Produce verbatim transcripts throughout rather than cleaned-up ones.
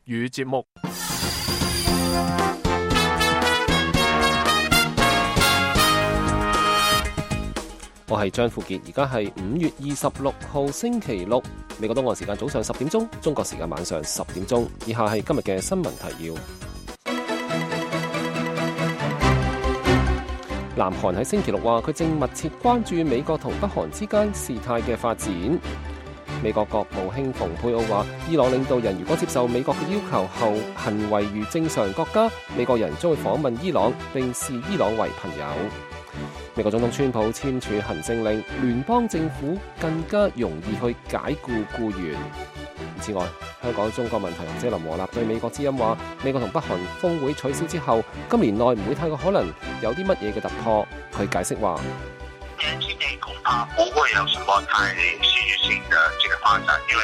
語節目。我係張富傑，而家係五月二十六號星期六，美國東岸時間早上十點鐘，中國時間晚上十點鐘。以下係今日嘅新聞提要。南韓喺星期六話，佢正密切關注美國同北韓之間事態嘅發展。美國國務卿蓬佩奧話，伊朗領導人如果接受美國嘅要求後行為如正常國家，美國人將會訪問伊朗並視伊朗為朋友。美國總統川普簽署行政令，聯邦政府更加容易去解僱僱員。此外，香港中國問題學者林和立對美國之音話，美國同北韓峰會取消之後，今年內唔會太過可能有啲乜嘢嘅突破。佢解釋話，年之內恐怕不會有什麼太戲劇性的這個發展，因為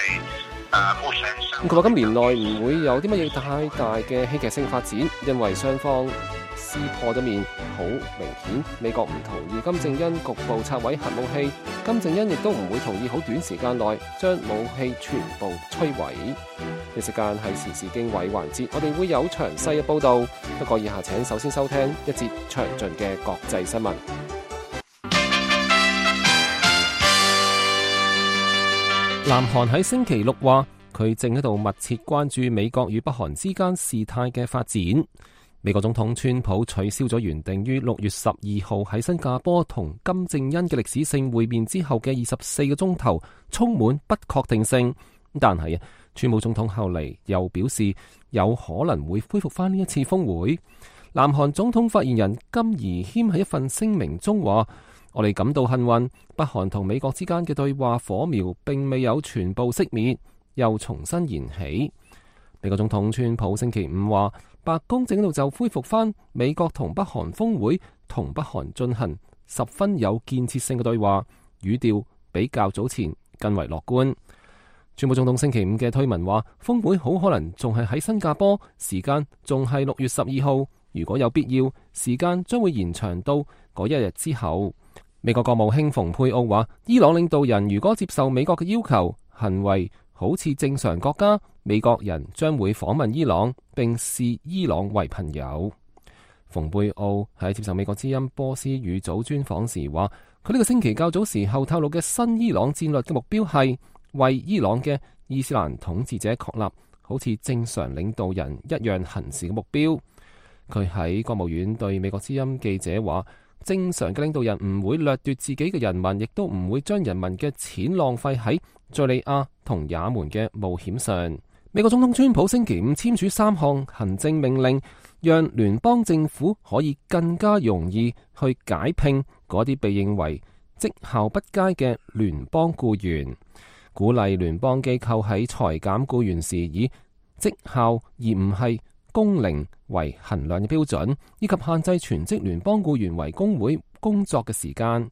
誒目前上佢話今年內唔會有啲乜嘢太大嘅戲劇性發展，因為雙方撕破咗面，好明顯美國唔同意金正恩局部拆毀核武器，金正恩亦都唔會同意好短時間內將武器全部摧毀。呢時間係時事經緯環節，我哋會有詳細嘅報導，不過以下請首先收聽一節詳盡嘅國際新聞。南韓喺星期六話，佢正喺度密切關注美國與北韓之間事態嘅發展。美國總統川普取消咗原定於六月十二號喺新加坡同金正恩嘅歷史性會面之後嘅二十四個鐘頭，充滿不確定性。但係啊，川普總統後嚟又表示有可能會恢復翻呢一次峰會。南韓總統發言人金宜謙喺一份聲明中話，我哋感到幸運，北韓同美國之間嘅對話火苗並未有全部熄滅，又重新燃起。美國總統川普星期五話，白宮正喺度就恢復翻美國同北韓峰會同北韓進行十分有建設性嘅對話，語調比較早前更為樂觀。川普總統星期五嘅推文話，峰會好可能仲係喺新加坡，時間仲係六月十二號，如果有必要，時間將會延長到嗰一日之後。美國國務卿蓬佩奧話，伊朗領導人如果接受美國嘅要求，行為好似正常國家，美國人將會訪問伊朗並視伊朗為朋友。蓬佩奧喺接受美國之音波斯語組專訪時話，佢呢個星期較早時候透露嘅新伊朗戰略嘅目標係為伊朗嘅伊斯蘭統治者確立好似正常領導人一樣行事嘅目標。佢喺國務院對美國之音記者話，正常嘅領導人唔會掠奪自己嘅人民，亦都唔會將人民嘅錢浪費喺敘利亞同也門嘅冒險上。美國總統川普星期五簽署三項行政命令，讓聯邦政府可以更加容易去解聘嗰啲被認為績效不佳嘅聯邦僱員，鼓勵聯邦機構喺裁減僱員時以績效而唔係工齡為衡量嘅標準，以及限制全職聯邦僱員為工會工作嘅時間。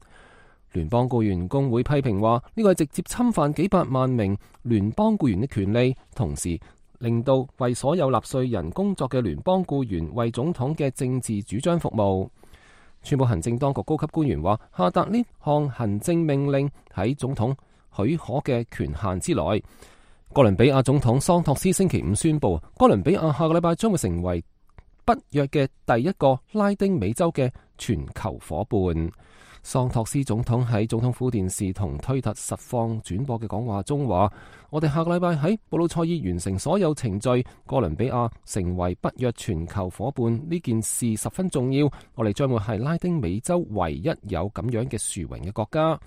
聯邦僱員工會批評話，呢個係直接侵犯幾百萬名聯邦僱員嘅權利，同時令到為所有納稅人工作嘅聯邦僱員為總統嘅政治主張服務。川普行政當局高級官員話，下達呢項行政命令喺總統許可嘅權限之內。哥倫比亞總統桑托斯星期五宣布，哥倫比亞下個禮拜將會成為北約嘅第一個拉丁美洲嘅全球夥伴。桑托斯總統喺總統府電視同推特實況轉播嘅講話中話，我哋下個禮拜喺布魯塞爾完成所有程序，哥倫比亞成為北約全球夥伴呢件事十分重要。我哋將會係拉丁美洲唯一有咁樣嘅殊榮嘅國家。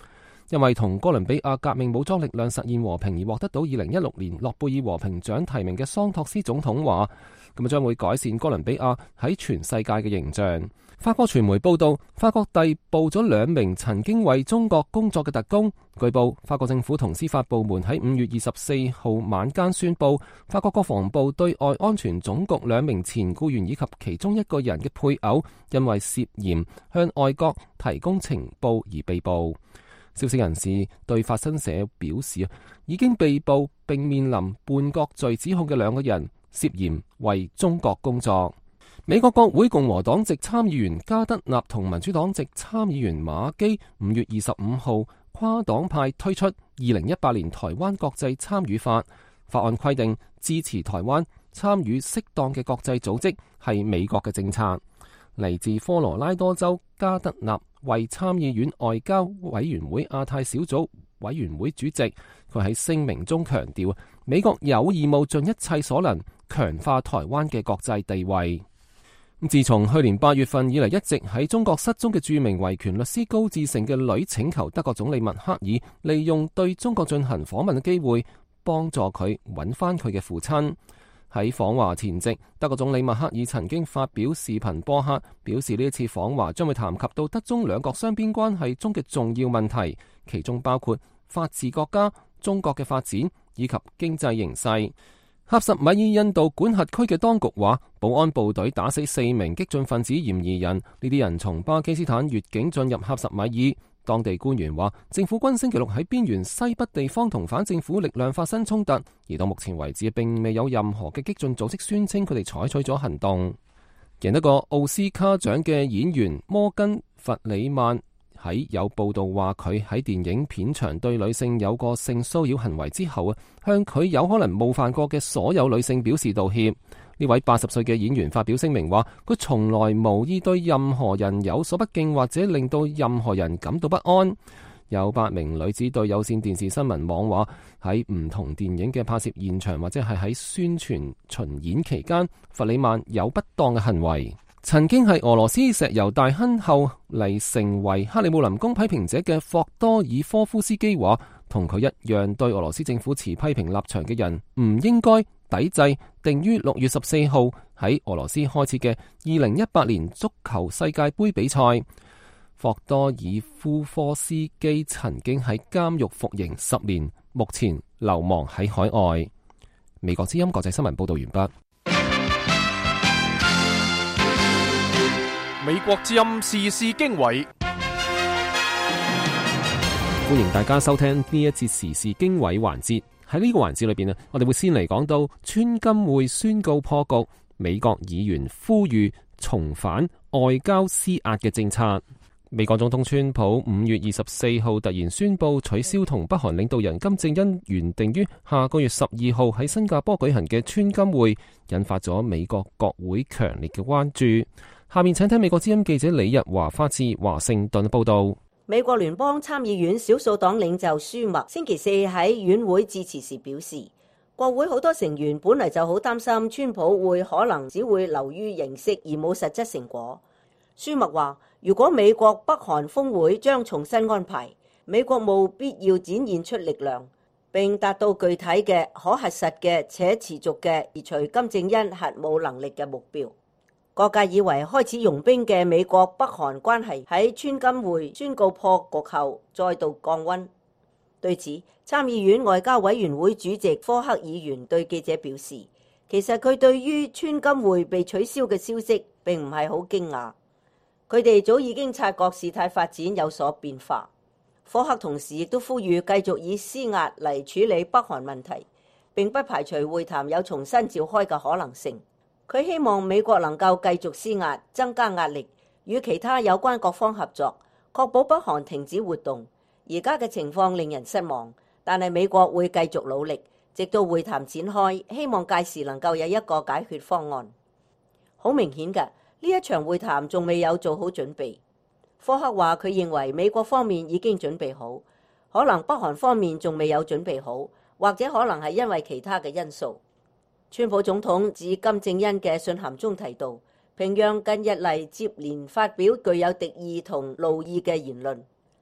因為同哥倫比亞革命武裝力量實現和平而獲得到二零一六年諾貝爾和平獎提名嘅桑托斯總統話，咁啊將會改善哥倫比亞喺全世界嘅形象。法國傳媒報道，法國逮捕咗兩名曾經為中國工作嘅特工。據報，法國政府同司法部門喺五月二十四號晚間宣布，法國國防部對外安全總局兩名前僱員以及其中一個人嘅配偶，因為涉嫌向外國提供情報而被捕。消息人士對法新社表示，已經被捕並面臨叛國罪指控嘅兩個人涉嫌為中國工作。美國國會共和黨籍參議員加德納同民主黨籍參議員馬基五月二十五號跨黨派推出二零一八年台灣國際參與法，法案規定支持台灣參與適當嘅國際組織係美國嘅政策。嚟自科羅拉多州加德納為參議院外交委員會亞太小組委員會主席，佢喺聲明中強調，美國有義務盡一切所能強化台灣嘅國際地位。自從去年八月份以嚟，一直喺中國失蹤嘅著名維權律師高志盛嘅女請求德國總理默克爾利用對中國進行訪問嘅機會，幫助佢揾翻佢嘅父親。喺訪華前夕，德國總理默克爾曾經發表視頻播客，表示呢一次訪華將會談及到德中兩國雙邊關係中嘅重要問題，其中包括法治國家、中國嘅發展以及經濟形勢。喀什米爾印度管轄區嘅當局話，保安部隊打死四名激進分子嫌疑人，呢啲人從巴基斯坦越境進入喀什米爾。當地官員話，政府軍星期六喺邊緣西北地方同反政府力量發生衝突，而到目前為止並未有任何嘅激進組織宣稱佢哋採取咗行動。贏得過奧斯卡獎嘅演員摩根·弗里曼喺有報道話佢喺電影片場對女性有過性騷擾行為之後啊，向佢有可能冒犯過嘅所有女性表示道歉。呢位八十歲嘅演員發表聲明話，佢從來無意對任何人有所不敬或者令到任何人感到不安。有八名女子對有線電視新聞網話，喺唔同電影嘅拍攝現場或者係喺宣傳巡演期間，弗里曼有不當嘅行為。曾經係俄羅斯石油大亨後嚟成為克里姆林宮批評者嘅霍多爾科夫斯基話，同佢一樣對俄羅斯政府持批評立場嘅人唔應該抵制定於六月十四號喺俄羅斯開始嘅二零一八年足球世界盃比賽。霍多爾夫科斯基曾經喺監獄服刑十年，目前流亡喺海外。美國之音國際新聞報道完畢。美國之音時事經緯，歡迎大家收聽呢一節時事經緯環節。喺呢個環節裏邊啊，我哋會先嚟講到川金會宣告破局，美國議員呼籲重返外交施壓嘅政策。美國總統川普五月二十四號突然宣布取消同北韓領導人金正恩原定於下個月十二號喺新加坡舉行嘅川金會，引發咗美國國會強烈嘅關注。下面請聽美國之音記者李日華發自華盛頓報道。美國聯邦參議院少數黨領袖舒默星期四喺院會致辭時表示，國會好多成員本來就好擔心川普會可能只會流於形式而冇實質成果。舒默話，如果美國北韓峰會將重新安排，美國務必要展現出力量，並達到具體嘅可核實嘅且持續嘅移除金正恩核武能力嘅目標。各界以為開始融冰嘅美國北韓關係喺川金會宣告破局後再度降溫。對此，參議院外交委員會主席科克議員對記者表示，其實佢對於川金會被取消嘅消息並唔係好驚訝，佢哋早已經察覺事態發展有所變化。科克同時亦都呼籲繼續以施壓嚟處理北韓問題，並不排除會談有重新召開嘅可能性。佢希望美國能夠繼續施壓，增加壓力，與其他有關各方合作，確保北韓停止活動。而家嘅情況令人失望，但係美國會繼續努力，直到會談展開，希望屆時能夠有一個解決方案。好明顯嘅，呢一場會談仲未有做好準備。科克話佢認為美國方面已經準備好，可能北韓方面仲未有準備好，或者可能係因為其他嘅因素。川普總統致金正恩嘅信函中提到，平壤近日嚟接連發表具有敵意同怒意嘅言論，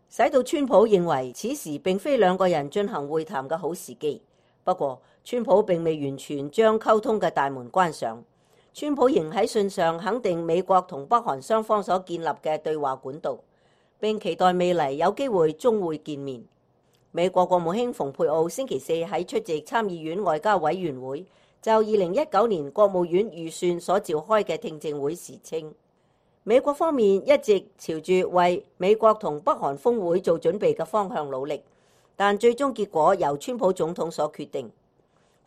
使到川普認為此時並非兩個人進行會談嘅好時機。不過，川普並未完全將溝通嘅大門關上，川普仍喺信上肯定美國同北韓雙方所建立嘅對話管道，並期待未來有機會終會見面。美國國務卿蓬佩奧星期四喺出席參議院外交委員會就二零一九年國務院預算所召開嘅聽證會時稱，美國方面一直朝住為美國同北韓峰會做準備嘅方向努力，但最終結果由川普總統所決定。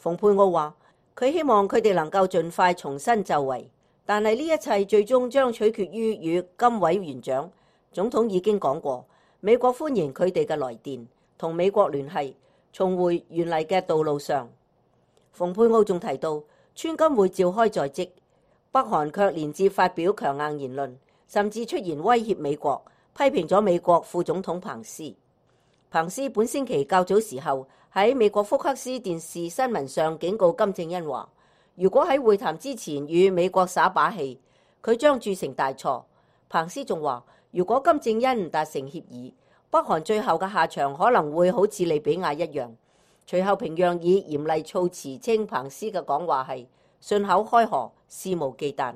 蓬佩奧話，佢希望佢哋能夠盡快重新就位，但係呢一切最終將取決於與金委員長。總統已經講過，美國歡迎佢哋嘅來電，同美國聯繫，重回原嚟嘅道路上。蓬佩奧仲提到，川金會召開在即，北韓卻連接發表強硬言論，甚至出言威脅美國，批評咗美國副總統彭斯。彭斯本星期較早時候喺美國福克斯電視新聞上警告金正恩話，如果喺會談之前與美國耍把戲，佢將鑄成大錯。彭斯仲話，如果金正恩唔達成協議，北韓最後嘅下場可能會好似利比亞一樣。隨後平壤以嚴厲措辭稱彭斯嘅講話係信口開河、肆無忌憚，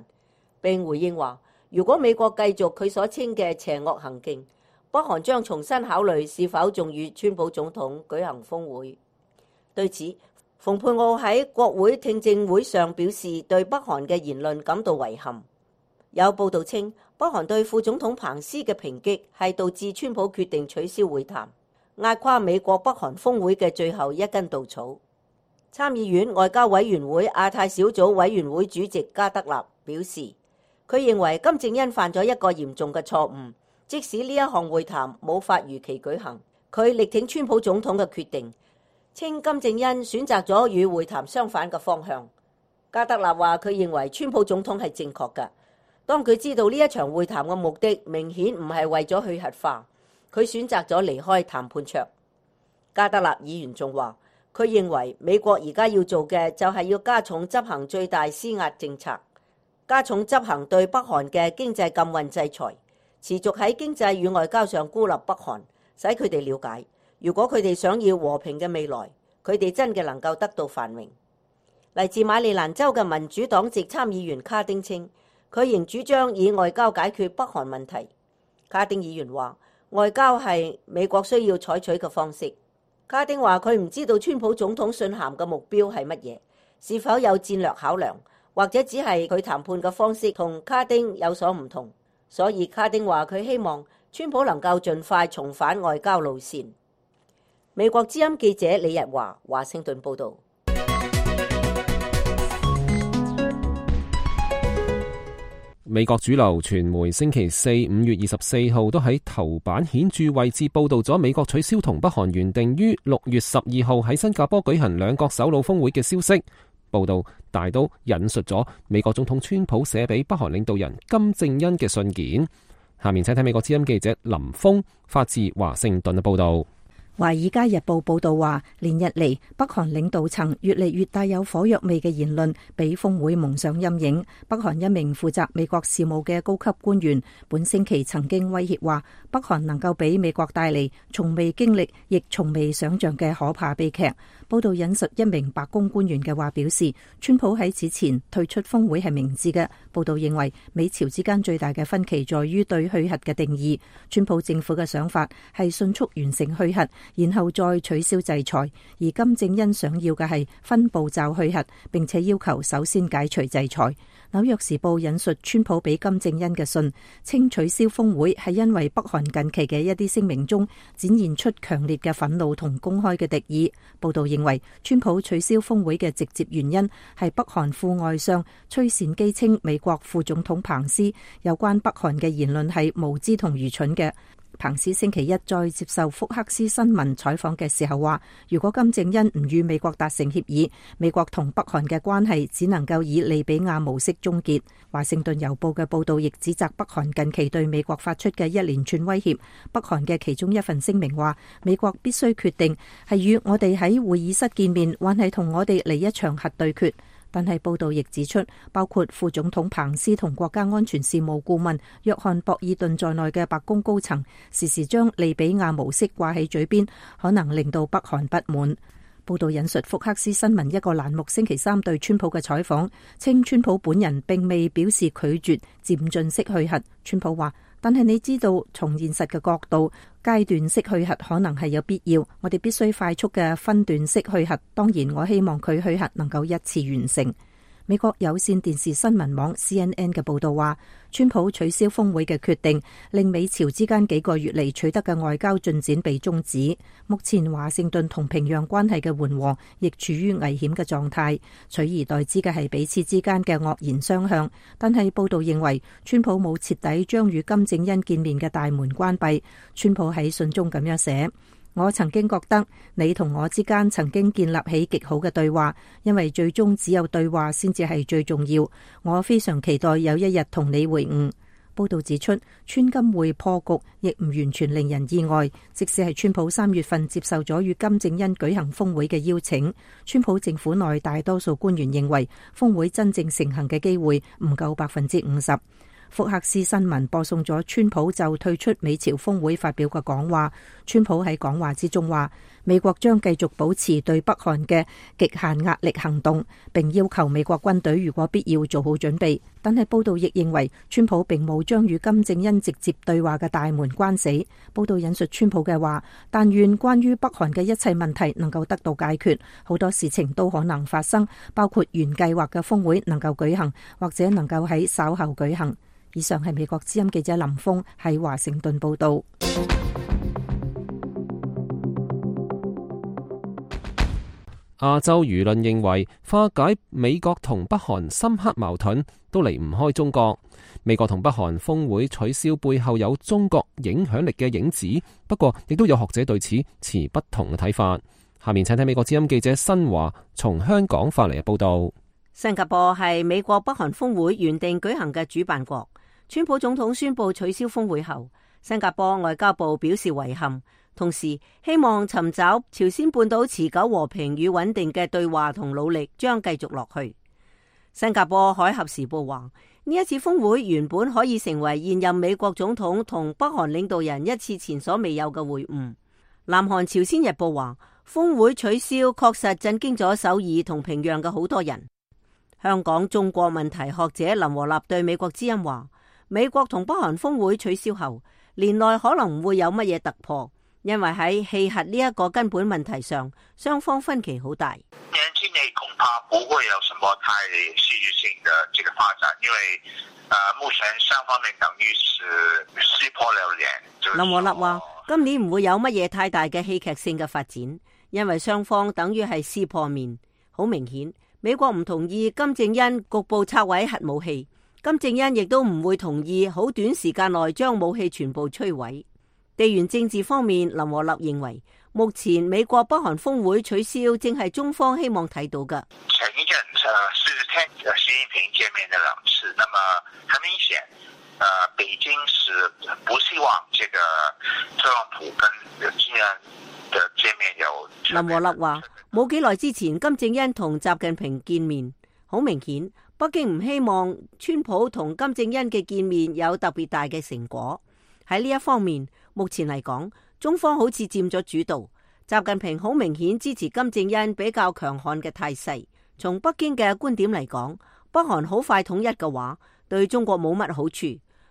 並回應話，如果美國繼續佢所稱嘅邪惡行徑，北韓將重新考慮是否仲與川普總統舉行峰會。對此，蓬佩奧喺國會聽證會上表示對北韓嘅言論感到遺憾。有報道稱，北韓對副總統彭斯嘅抨擊係導致川普決定取消會談，壓垮美國北韓峰會嘅最後一根稻草。參議院外交委員會亞太小組委員會主席加德納表示，佢認為金正恩犯咗一個嚴重嘅錯誤，即使呢一項會談冇法如期舉行，佢力挺川普總統嘅決定，稱金正恩選擇咗與會談相反嘅方向。加德納話，佢認為川普總統係正確嘅，當佢知道呢一場會談嘅目的明顯唔係為咗去核化，佢選擇咗離開談判桌。加德納議員仲話，佢認為美國而家要做嘅就係要加重執行最大施壓政策，加重執行對北韓嘅經濟禁運制裁，持續喺經濟與外交上孤立北韓，使佢哋了解，如果佢哋想要和平嘅未來，佢哋真嘅能夠得到繁榮。嚟自馬里蘭州嘅民主黨籍參議員卡丁稱，佢仍主張以外交解決北韓問題。卡丁議員話，外交係美國需要採取嘅方式。卡丁話，佢唔知道川普總統信函嘅目標係乜嘢，是否有戰略考量，或者只係佢談判嘅方式同卡丁有所唔同。所以卡丁話，佢希望川普能夠盡快重返外交路線。美國之音記者李日華華盛頓報道。美國主流傳媒星期四五月二十四號都喺頭版顯著位置報道咗美國取消同北韓原定於六月十二號喺新加坡舉行兩國首腦峰會嘅消息。報道大都引述咗美國總統川普寫俾北韓領導人金正恩嘅信件。下面請睇美國之音記者林峰發自華盛頓嘅報道。《華爾街日報》報道話，連日嚟北韓領導層越嚟越帶有火藥味嘅言論，俾峰會蒙上陰影。北韓一名負責美國事務嘅高級官員本星期曾經威脅話，北韓能夠俾美國帶嚟從未經歷亦從未想象嘅可怕悲劇。報道引述一名白宮官員嘅話表示，川普喺此前退出峰會係明智嘅。報道認為，美朝之間最大嘅分歧在於對去核嘅定義。川普政府嘅想法係迅速完成去核，然後再取消制裁，而金正恩想要嘅係分步驟去核，並且要求首先解除制裁。紐約時報引述川普俾金正恩嘅信，稱取消峰會係因為北韓近期嘅一啲聲明中展現出強烈嘅憤怒同公開嘅敵意。報道認為，川普取消峰會嘅直接原因係北韓副外相崔善基稱美國副總統彭斯有關北韓嘅言論係無知同愚蠢嘅。彭斯星期一再接受福克斯新聞採訪嘅時候話，如果金正恩唔與美國達成協議，美國同北韓嘅關係只能夠以利比亞模式終結。華盛頓郵報嘅報道亦指責北韓近期對美國發出嘅一連串威脅。北韓嘅其中一份聲明話，美國必須決定係與我哋喺會議室見面，還係同我哋嚟一場核對決。但係報道亦指出，包括副總統彭斯同國家安全事務顧問約翰博爾頓在內嘅白宮高層，時時將利比亞模式掛喺嘴邊，可能令到北韓不滿。報道引述福克斯新聞一個欄目星期三對川普嘅採訪，稱川普本人並未表示拒絕漸進式去核。川普話，但係你知道，從現實嘅角度，階段式去核可能係有必要，我哋必須快速嘅分段式去核。當然，我希望佢去核能夠一次完成。美國有線電視新聞網 C N N 嘅報道話，川普取消峰會嘅決定令美朝之間幾個月嚟取得嘅外交進展被終止。目前華盛頓同平壤關係嘅緩和亦處於危險嘅狀態，取而代之嘅係彼此之間嘅惡言相向。但係報道認為，川普冇徹底將與金正恩見面嘅大門關閉。川普喺信中咁樣寫：我曾經覺得你同我之間曾經建立起極好嘅對話，因為最終只有對話先至係最重要。我非常期待有一日同你會晤。報道指出，川金會破局亦唔完全令人意外，即使係川普三月份接受咗與金正恩舉行峰會嘅邀請，川普政府內大多數官員認為峰會真正成行嘅機會唔夠百分之五十。福克斯新聞播送咗川普就退出美朝峰會發表嘅講話。川普喺講話之中話，美國將繼續保持對北韓嘅極限壓力行動，並要求美國軍隊如果必要做好準備。但係報道亦認為，川普並冇將與金正恩直接對話嘅大門關死。報道引述川普嘅話，但願關於北韓嘅一切問題能夠得到解決，好多事情都可能發生，包括原計劃嘅峰會能夠舉行，或者能夠喺稍後舉行。以上係美國之音記者林峰喺華盛頓報道。亞洲輿論認為，化解美國同北韓深刻矛盾都離唔開中國。美國同北韓峰會取消背後有中國影響力嘅影子，不過亦都有學者對此持不同嘅睇法。下面請睇美國之音記者新華從香港發嚟嘅報道。新加坡係美國北韓峰會原定舉行嘅主辦國。川普總統宣布取消峰會後，新加坡外交部表示遺憾，同時希望尋找朝鮮半島持久和平與穩定嘅對話同努力將繼續落去。新加坡海峽時報話，呢一次峰會原本可以成為現任美國總統同北韓領導人一次前所未有嘅會晤。南韓朝鮮日報話，峰會取消確實震驚咗首爾同平壤嘅好多人。香港中國問題學者林和立對美國之音話，美國同北韓峰會取消後，年內可能唔會有乜嘢突破，因為喺氣核呢一個根本問題上，雙方分歧好大。年之內恐怕不會有什麼太戲劇性的這個發展，因為呃目前雙方面等於是撕破了臉。林和立話，今年唔會有乜嘢太大嘅戲劇性嘅發展，因為雙方等於係撕破面。好明顯，美國唔同意金正恩局部拆毀核武器。金正恩亦都唔會同意好短時間內將武器全部摧毀。地緣政治方面，林和立認為，目前美國北韓峰會取消，正係中方希望睇到嘅。前一陣是聽習近平見面的兩次，那麼很明顯，呃，北京是不希望這個特朗普跟金正恩的見面有。林和立話，冇幾耐之前，金正恩同習近平見面，好明顯。北京唔希望川普同金正恩嘅見面有特別大嘅成果。喺呢一方面，目前嚟講，中方好似佔咗主導。習近平好明顯支持金正恩比較強悍嘅態勢。從北京嘅觀點嚟講，北韓好快統一嘅話，對中國冇乜好處。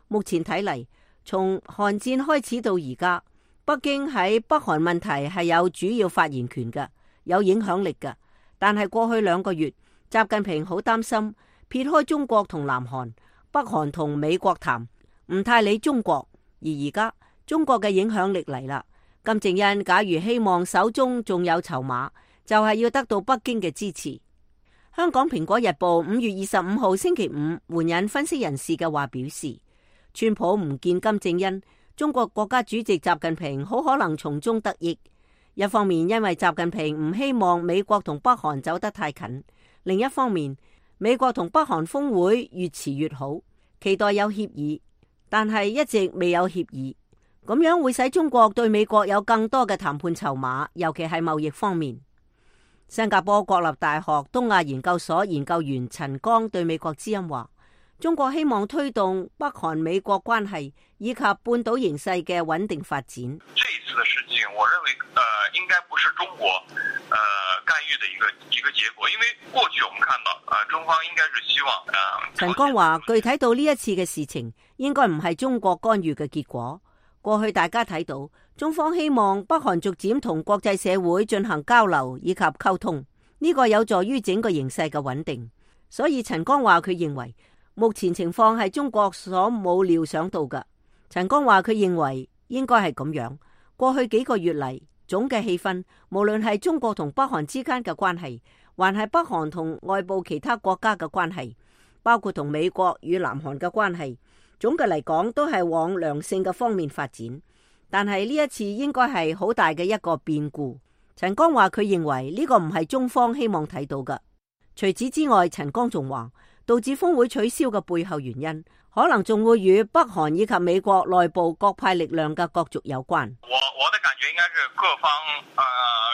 目前睇嚟，從韓戰開始到而家，北京喺北韓問題係有主要發言權嘅，有影響力嘅。但係過去兩個月，習近平好擔心。撇開中國同南韓，北韓同美國談，唔太理中國。而而家中國嘅影響力嚟啦，金正恩假如希望手中仲有籌碼，就係要得到北京嘅支持。香港蘋果日報五月二十五號星期五援引分析人士嘅話表示，川普唔見金正恩，中國國家主席習近平好可能從中得益。一方面因為習近平唔希望美國同北韓走得太近，另一方面，美國同北韓峰會越遲越好，期待有協議，但係一直未有協議，咁樣會使中國對美國有更多嘅談判籌碼，尤其係貿易方面。新加坡國立大學東亞研究所研究員陳剛對美國之音話，中國希望推動北韓美國關係以及半島形勢嘅穩定發展。這一次的事情，我認為，呃，應該不是中國，呃，干預的一個一個結果，因為過去我們看到，呃，中方應該是希望，呃。陳剛話，具體到呢一次嘅事情，應該唔係中國干預嘅結果。過去大家睇到，中方希望北韓逐漸同國際社會進行交流以及溝通，呢個有助於整個形勢嘅穩定。所以陳剛話佢認為，目前情況係中國所冇料想到嘅。陳剛話佢認為應該係咁樣。過去幾個月嚟，總嘅氣氛，無論係中國同北韓之間嘅關係，還係北韓同外部其他國家嘅關係，包括同美國與南韓嘅關係，總嘅嚟講都係往良性嘅方面發展。但係呢一次應該係好大嘅一個變故。陳剛話佢認為呢個唔係中方希望睇到嘅。除此之外，陳剛仲話導致峰會取消嘅背後原因，可能仲會與北韓以及美國內部各派力量嘅角逐有關。我我的感覺應該是各方呃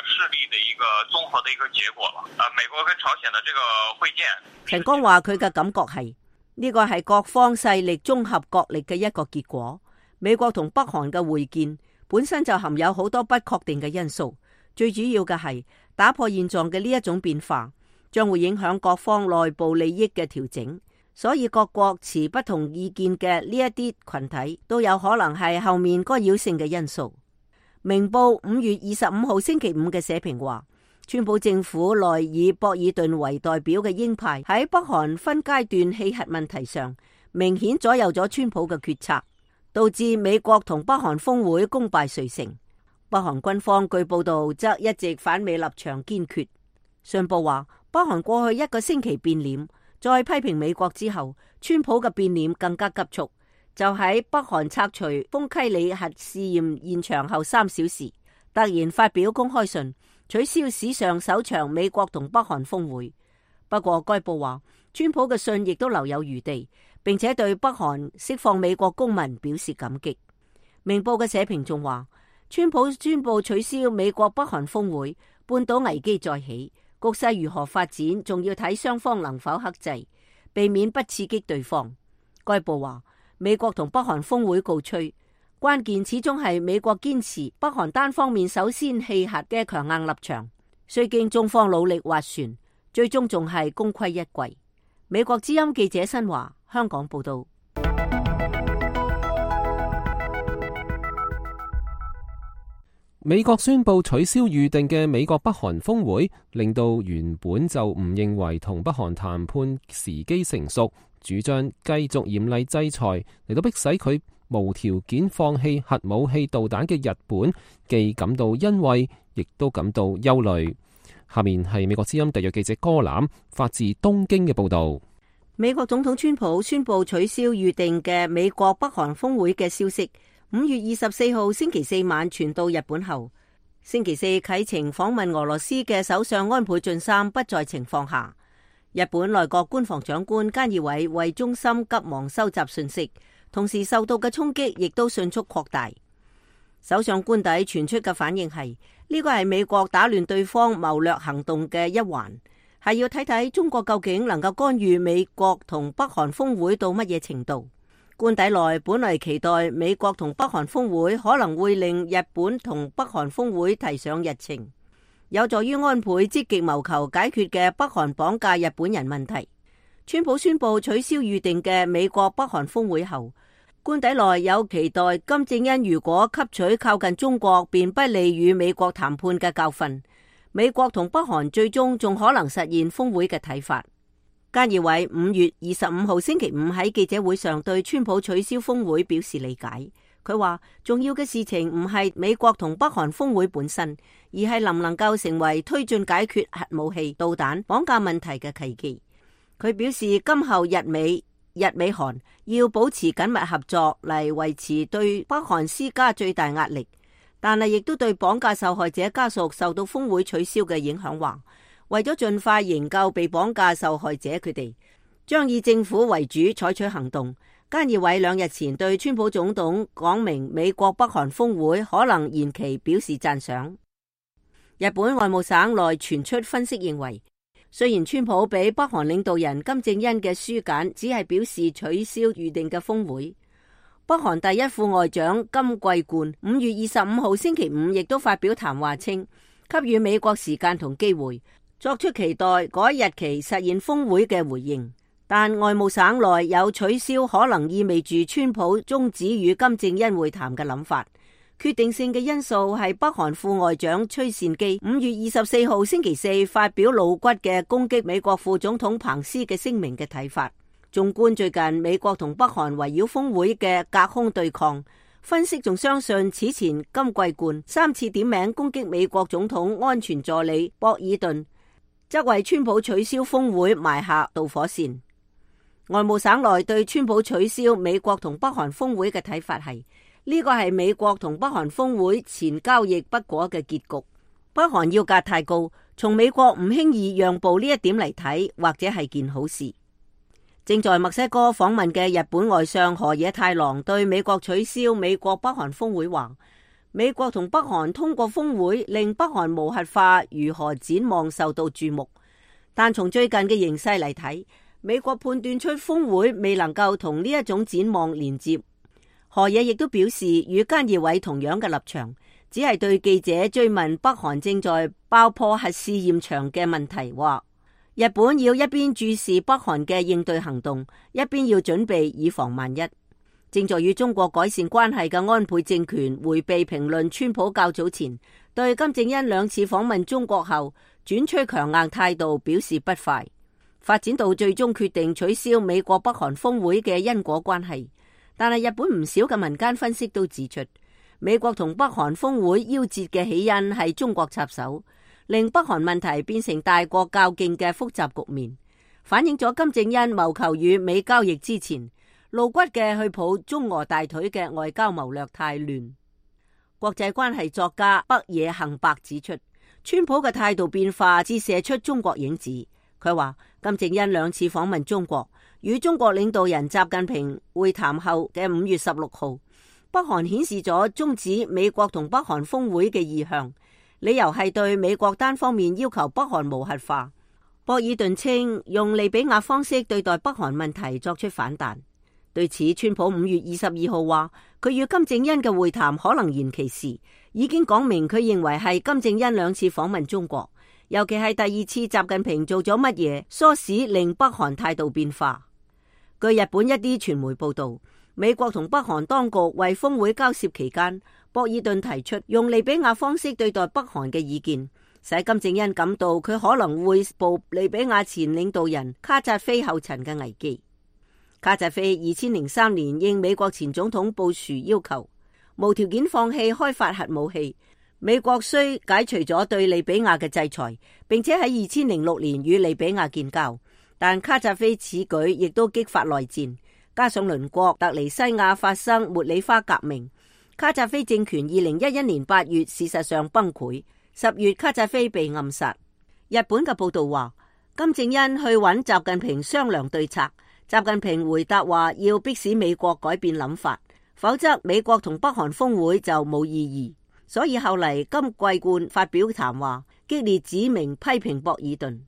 勢力的一個綜合的一個結果了。呃，美國跟朝鮮的這個會見，陳剛話佢嘅感覺係呢個係各方勢力綜合角力嘅一個結果。美國同北韓嘅會見本身就含有好多不確定嘅因素，最主要嘅係打破現狀嘅呢一種變化，將會影響各方內部利益嘅調整，所以各國持不同意見嘅呢一啲群體都有可能係後面干擾性嘅因素。明報五月二十五號星期五嘅社評話，川普政府內以博爾頓為代表嘅鷹派喺北韓分階段棄核問題上，明顯左右咗川普嘅決策，導致美國同北韓峰會功敗垂成。北韓軍方據報道則一直反美立場堅決。信報話，北韓過去一個星期變臉，再批評美國之後，川普嘅變臉更加急速。就喺北韓拆除豐溪里核試驗現場後三小時，突然發表公開信，取消史上首場美國同北韓峰會。不過該報話，川普嘅信亦都留有餘地，並且對北韓釋放美國公民表示感激。明報嘅社評仲話，川普宣布取消美國北韓峰會，半島危機再起，局勢如何發展，仲要睇雙方能否克制，避免不刺激對方。該報話，美國同北韓峰會告吹，關鍵始終係美國堅持北韓單方面首先棄核嘅強硬立場，雖經中方努力斡旋，最終仲係功虧一簣。美國之音記者新華香港報道。美國宣布取消預定嘅美國北韓峰會，令到原本就唔認為同北韓談判時機成熟，主張繼續嚴厲制裁嚟到迫使佢無條件放棄核武器導彈嘅日本，既感到欣慰，亦都感到憂慮。下面係美國之音特約記者歌欖發自東京嘅報道。美國總統川普宣布取消預定嘅美國北韓峰會嘅消息，五月二十四號星期四晚傳到日本後，星期四啟程訪問俄羅斯嘅首相安倍晉三不在情況下，日本內閣官房長官菅義偉為中心急忙收集信息，同時受到嘅衝擊亦都迅速擴大。首相官邸傳出嘅反應係呢個係美國打亂對方謀略行動嘅一環，係要睇睇中國究竟能夠干預美國同北韓峰會到乜嘢程度。官邸內本來期待美國同北韓峰會可能會令日本同北韓峰會提上日程，有助於安倍積極謀求解決嘅北韓綁架日本人問題。川普宣布取消預定嘅美國北韓峰會後，官邸內有期待金正恩如果吸取靠近中國便不利與美國談判嘅教訓，美國同北韓最終仲可能實現峰會嘅睇法。菅義偉五月二十五號星期五喺記者會上對川普取消峰會表示理解。佢話重要嘅事情唔係美國同北韓峰會本身，而係能唔能夠成為推進解決核武器、導彈、綁架問題嘅契機。佢表示今後日美、日美韓要保持緊密合作嚟維持對北韓施加最大壓力，但係亦都對綁架受害者家屬受到峰會取消嘅影響話，為咗盡快營救被綁架受害者，佢哋將以政府為主採取行動。菅義偉兩日前對川普總統講明美國北韓峰會可能延期表示讚賞。日本外務省內傳出分析認為，雖然川普俾北韓領導人金正恩嘅書簡只係表示取消預定嘅峰會，北韓第一副外長金貴冠五月二十五號星期五亦都發表談話稱，給予美國時間同機會，作出期待嗰日期實現峰會嘅回應。但外務省內有取消可能意味住川普終止與金正恩會談嘅諗法。決定性嘅因素係北韓副外長崔善基五月二十四號星期四發表露骨嘅攻擊美國副總統彭斯嘅聲明嘅睇法。縱觀最近美國同北韓圍繞峰會嘅隔空對抗，分析仲相信此前金貴冠三次點名攻擊美國總統安全助理博爾頓，則為川普取消峰會埋下導火線。外務省內對川普取消美國同北韓峰會嘅睇法係，呢個係美國同北韓峰會前交易不果嘅結局。北韓要價太高，從美國唔輕易讓步呢一點嚟睇，或者係件好事。正在墨西哥訪問嘅日本外相河野太郎對美國取消美國北韓峰會話，美國同北韓通過峰會令北韓無核化如何展望受到注目，但從最近嘅形勢嚟睇，美國判斷出峰會未能夠同呢一種展望連接。河野亦都表示與菅義偉同樣嘅立場，只係對記者追問北韓正在爆破核試驗場嘅問題話，日本要一邊注視北韓嘅應對行動，一邊要準備以防萬一。正在與中國改善關係嘅安倍政權迴避評論川普較早前對金正恩兩次訪問中國後轉趨強硬態度表示不快，發展到最終決定取消美國北韓峰會嘅因果關係。但係日本唔少嘅民間分析都指出，美國同北韓峰會夭折嘅起因係中國插手，令北韓問題變成大國較勁嘅複雜局面，反映咗金正恩謀求與美交易之前露骨嘅去抱中俄大腿嘅外交謀略太亂。國際關係作家北野幸伯指出，川普嘅態度變化折射出中國影子。佢話金正恩兩次訪問中國，與中國領導人習近平會談後嘅五月十六號，北韓顯示咗終止美國同北韓峰會嘅意向，理由係對美國單方面要求北韓無核化。博爾頓稱用利比亞方式對待北韓問題作出反彈。對此，川普五月二十二號話，佢與金正恩嘅會談可能延期時，已經講明佢認為係金正恩兩次訪問中國，尤其係第二次習近平做咗乜嘢唆使令北韓態度變化。據日本一啲傳媒報道，美國同北韓當局為峰會交涉期間，博爾頓提出用利比亞方式對待北韓嘅意見，使金正恩感到佢可能會步利比亞前領導人卡扎菲後塵嘅危機。卡扎菲二千零三年應美國前總統布殊要求，無條件放棄開發核武器。美國雖解除咗對利比亞嘅制裁，並且喺二千零六年與利比亞建交，但卡扎菲此舉亦都激發內戰，加上鄰國突尼西亞發生茉莉花革命，卡扎菲政權二零一一年八月事實上崩潰，十月卡扎菲被暗殺。日本嘅報道話，金正恩去揾習近平商量對策，習近平回答話要迫使美國改變諗法，否則美國同北韓峰會就冇意義。所以後嚟金桂冠發表談話，激烈指明批評博爾頓。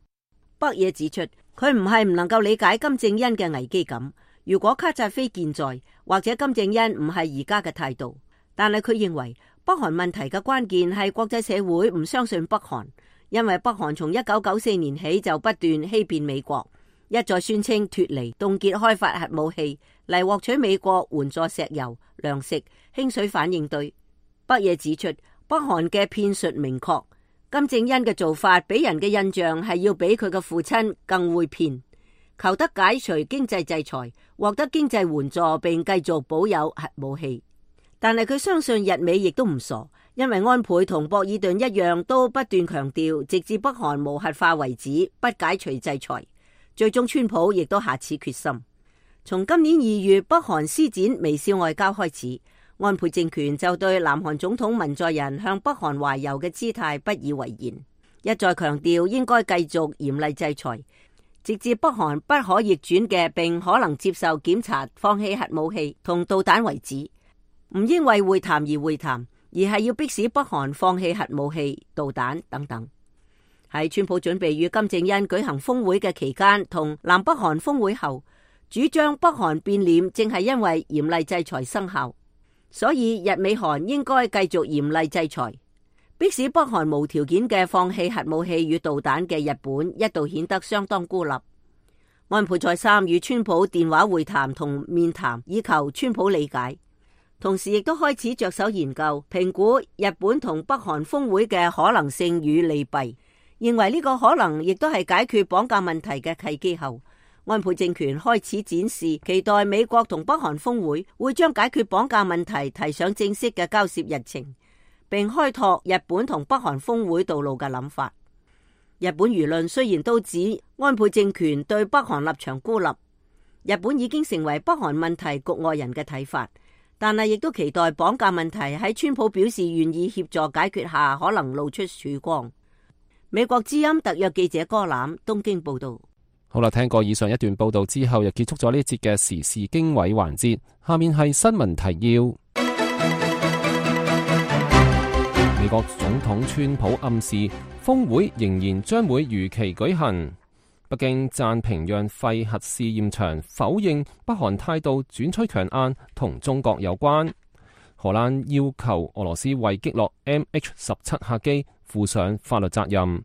北野指出，佢唔係唔能夠理解金正恩嘅危機感，如果卡扎菲健在，或者金正恩唔係而家嘅態度，但係佢認為北韓問題嘅關鍵係國際社會唔相信北韓，因為北韓從一九九四年起就不斷欺騙美國，一再宣稱脫離、凍結開發核武器嚟獲取美國援助石油、糧食、輕水反應堆。北野指出，北韓嘅騙術明確，金正恩嘅做法俾人嘅印象係要比佢嘅父親更會騙，求得解除經濟制裁，獲得經濟援助，並繼續保有核武器。但係佢相信日美亦都唔傻，因為安倍同博爾頓一樣都不斷強調，直至北韓無核化為止，不解除制裁。最終川普亦都下此決心。從今年二月北韓施展微笑外交開始，安倍政權就對南韓總統文在寅向北韓懷柔嘅姿態不以為然，一再強調應該繼續嚴厲制裁，直至北韓不可逆轉嘅並可能接受檢查放棄核武器同導彈為止。唔應為會談而會談，而係要迫使北韓放棄核武器、導彈等等。喺川普準備與金正恩舉行峰會嘅期間，同南北韓峰會後，主張北韓變臉正係因為嚴厲制裁生效。所以日美韓應該繼續嚴厲制裁，迫使北韓無條件嘅放棄核武器與導彈嘅日本一度顯得相當孤立。安倍再三與川普電話會談同面談，以求川普理解，同時亦都開始着手研究評估日本同北韓峰會嘅可能性與利弊，認為呢個可能亦都係解決綁架問題嘅契機後，安倍政權開始展示期待美國同北韓峰會會將解決綁架問題提上正式嘅交涉日程，並開拓日本同北韓峰會道路嘅諗法。日本輿論雖然都指安倍政權對北韓立場孤立，日本已經成為北韓問題局外人嘅睇法，但係亦都期待綁架問題喺川普表示願意協助解決下，可能露出曙光。美國之音特約記者柯攬東京報道。好啦，聽過以上一段報道之後，又結束咗呢一節嘅時事經緯環節。下面係新聞提要。美國總統川普暗示峰會仍然將會如期舉行。北京讚平壤廢核試驗場，否認北韓態度轉趨強硬同中國有關。荷蘭要求俄羅斯為擊落 M H 十七客機負上法律責任。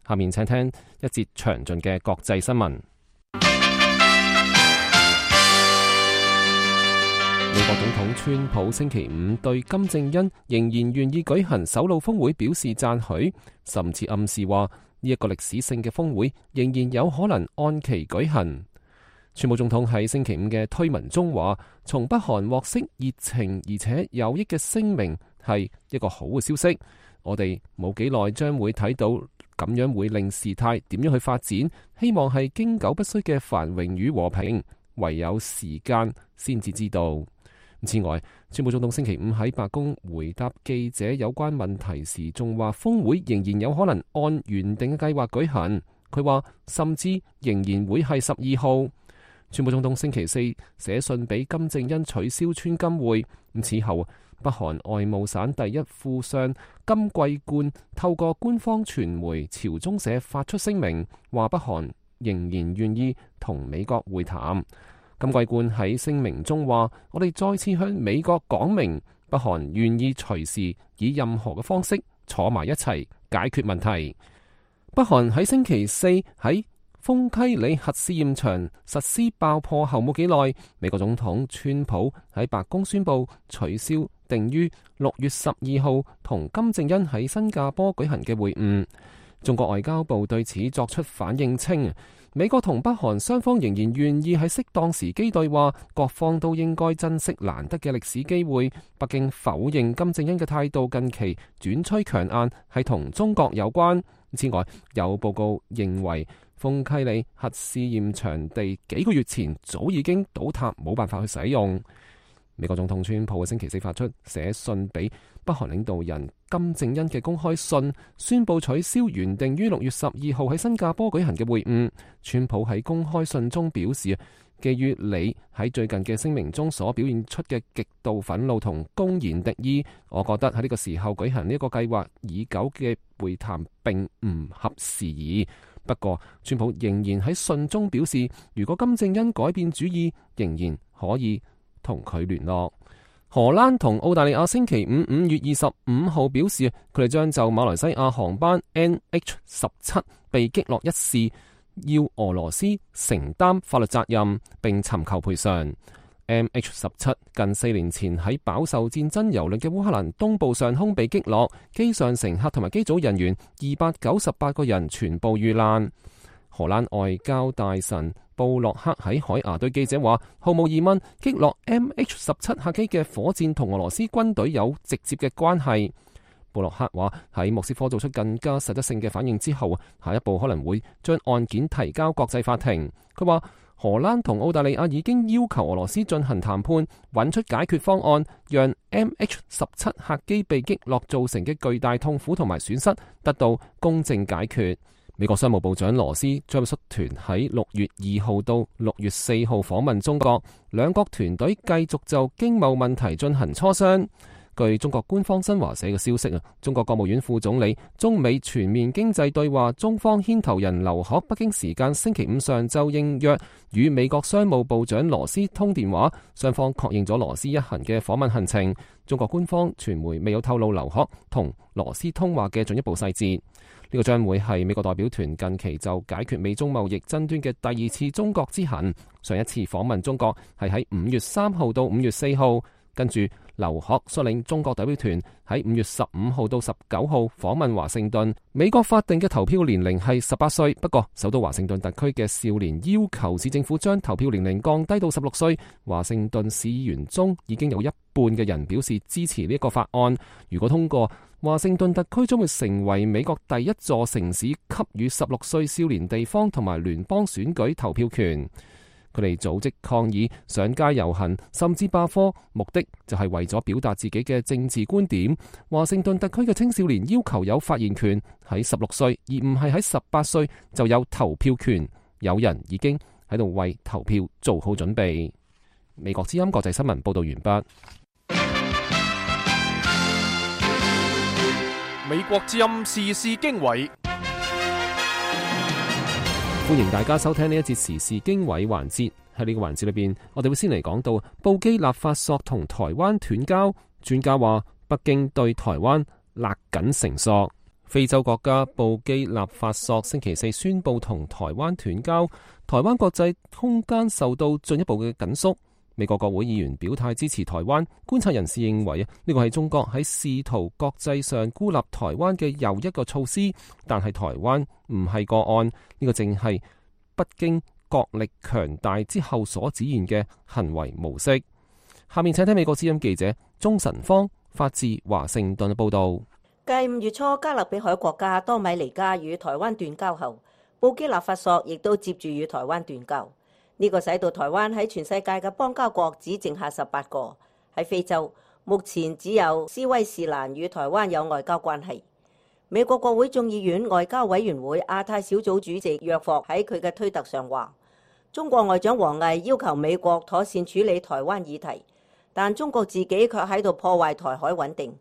下面請聽一節詳盡嘅國際新聞。美國總統川普星期五對金正恩仍然願意舉行首腦峰會表示讚許，甚至暗示話呢一個歷史性嘅峰會仍然有可能按期舉行。川普總統喺星期五嘅推文中話，從北韓獲悉熱情而且有益嘅聲明係一個好嘅消息。我哋冇幾耐將會睇到咁樣會令事態點樣去發展，希望係經久不衰嘅繁榮與和平，唯有時間先至知道。此外，川普總統星期五喺白宮回答記者有關問題時，仲話峰會仍然有可能按原定嘅計劃舉行。佢話甚至仍然會係十二號。川普總統星期四寫信俾金正恩取消川金會。咁此後，北韓外務省第一副相金貴冠透過官方傳媒朝中社發出聲明，話北韓仍然願意同美國會談。金貴冠喺聲明中話：我哋再次向美國講明，北韓願意隨時以任何嘅方式坐埋一齊解決問題。北韓喺星期四喺豐溪里核試驗場實施爆破後冇幾耐，美國總統川普喺白宮宣布取消定於六月十二號同金正恩喺新加坡舉行嘅會晤。中國外交部對此作出反應稱，美國同北韓雙方仍然願意喺適當時機對話，各方都應該珍惜難得嘅歷史機會。北京否認金正恩嘅態度近期轉趨強硬係同中國有關。此外，有報告認為豐溪里核試驗場地幾個月前早已經倒塌，冇辦法去使用。美國總統川普喺星期四發出寫信俾北韓領導人金正恩嘅公開信，宣布取消原定於六月十二號喺新加坡舉行嘅會晤。川普喺公開信中表示，基於你喺最近嘅聲明中所表現出嘅極度憤怒同公然敵意，我覺得喺呢個時候舉行呢個計劃已久嘅會談並唔合時宜。不過，川普仍然喺信中表示，如果金正恩改變主意，仍然可以同佢聯絡。荷蘭同澳大利亞星期五五月二十五號表示，佢哋將就馬來西亞航班 N H 十七被擊落一事，要俄羅斯承擔法律責任並尋求賠償。M H 十七近四年前喺飽受戰爭蹂躪嘅烏克蘭東部上空被擊落，機上乘客同埋機組人員二百九十八個人全部遇難。荷蘭外交大臣布洛克喺海牙對記者話：毫無疑問，擊落 M H 十七客機嘅火箭同俄羅斯軍隊有直接嘅關係。布洛克話喺莫斯科做出更加實質性嘅反應之後，下一步可能會將案件提交國際法庭。佢話荷蘭同澳大利亞已經要求俄羅斯進行談判，揾出解決方案，讓 M H 十七客機被擊落造成嘅巨大痛苦同埋損失得到公正解決。美國商務部長羅斯將率團喺六月二號到六月四號訪問中國，兩國團隊繼續就經貿問題進行磋商。據中國官方新華社嘅消息啊，中國國務院副總理、中美全面經濟對話中方牽頭人劉鶴北京時間星期五上晝應約與美國商務部長羅斯通電話，雙方確認咗羅斯一行嘅訪問行程。中國官方傳媒未有透露劉鶴同羅斯通話嘅進一步細節。呢個將會係美國代表團近期就解決美中貿易爭端嘅第二次中國之行。上一次訪問中國係喺五月三號到五月四號，跟住劉鶴率領中國代表團喺五月十五號到十九號訪問華盛頓。美國法定嘅投票年齡係十八歲，不過首都華盛頓特區嘅少年要求市政府將投票年齡降低到十六歲。華盛頓市議員中已經有一半嘅人表示支持呢一個法案。如果通過，華盛頓特區將會成為美國第一座城市給予十六歲少年地方同埋聯邦選舉投票權。佢哋組織抗議、上街遊行，甚至罷課，目的就係為咗表達自己嘅政治觀點。華盛頓特區嘅青少年要求有發言權，喺十六歲，而唔係喺十八歲就有投票權。有人已經喺度為投票做好準備。美國之音國際新聞報道完畢。美國之音時事經緯，歡迎大家收聽呢一節時事經緯環節。喺呢個環節裏邊，我哋會先嚟講到布基納法索同台灣斷交。專家話北京對台灣勒緊繩索。非洲國家布基納法索星期四宣布同台灣斷交，台灣國際空間受到進一步嘅緊縮。美國國會議員表態支持台灣，觀察人士認為啊，呢個係中國喺試圖國際上孤立台灣嘅又一個措施，但係台灣唔係個案，呢個正係北京國力強大之後所展現嘅行為模式。下面請聽美國之音記者鍾晨芳發自華盛頓嘅報道。繼五月初加勒比海國家多米尼加與台灣斷交後，布基納法索亦都接住與台灣斷交。呢個使到台灣喺全世界嘅邦交國只剩下十八個。喺非洲，目前只有斯威士蘭與台灣有外交關係。美國國會眾議院外交委員會亞太小組主席約霍喺佢嘅推特上話，中國外長王毅要求美國妥善處理台灣議題，但中國自己卻喺度破壞台海穩定，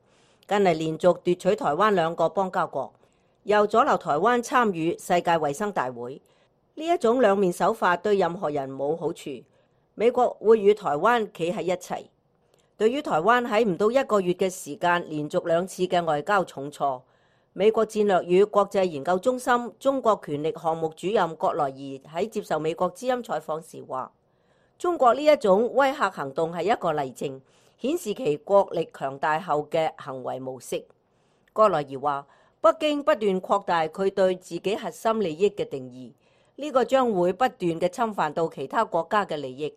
近嚟連續奪取台灣兩個邦交國，又阻撓台灣參與世界衛生大會。呢一種兩面手法對任何人冇好處。美國會與台灣企喺一齊。對於台灣喺唔到一個月嘅時間連續兩次嘅外交重挫，美國戰略與國際研究中心中國權力項目主任葛萊儀喺接受美國之音採訪時話，中國呢一種威嚇行動係一個例證，顯示其國力強大後嘅行為模式。葛萊儀話，北京不斷擴大佢對自己核心利益嘅定義，呢個將會不斷嘅侵犯到其他國家嘅利益。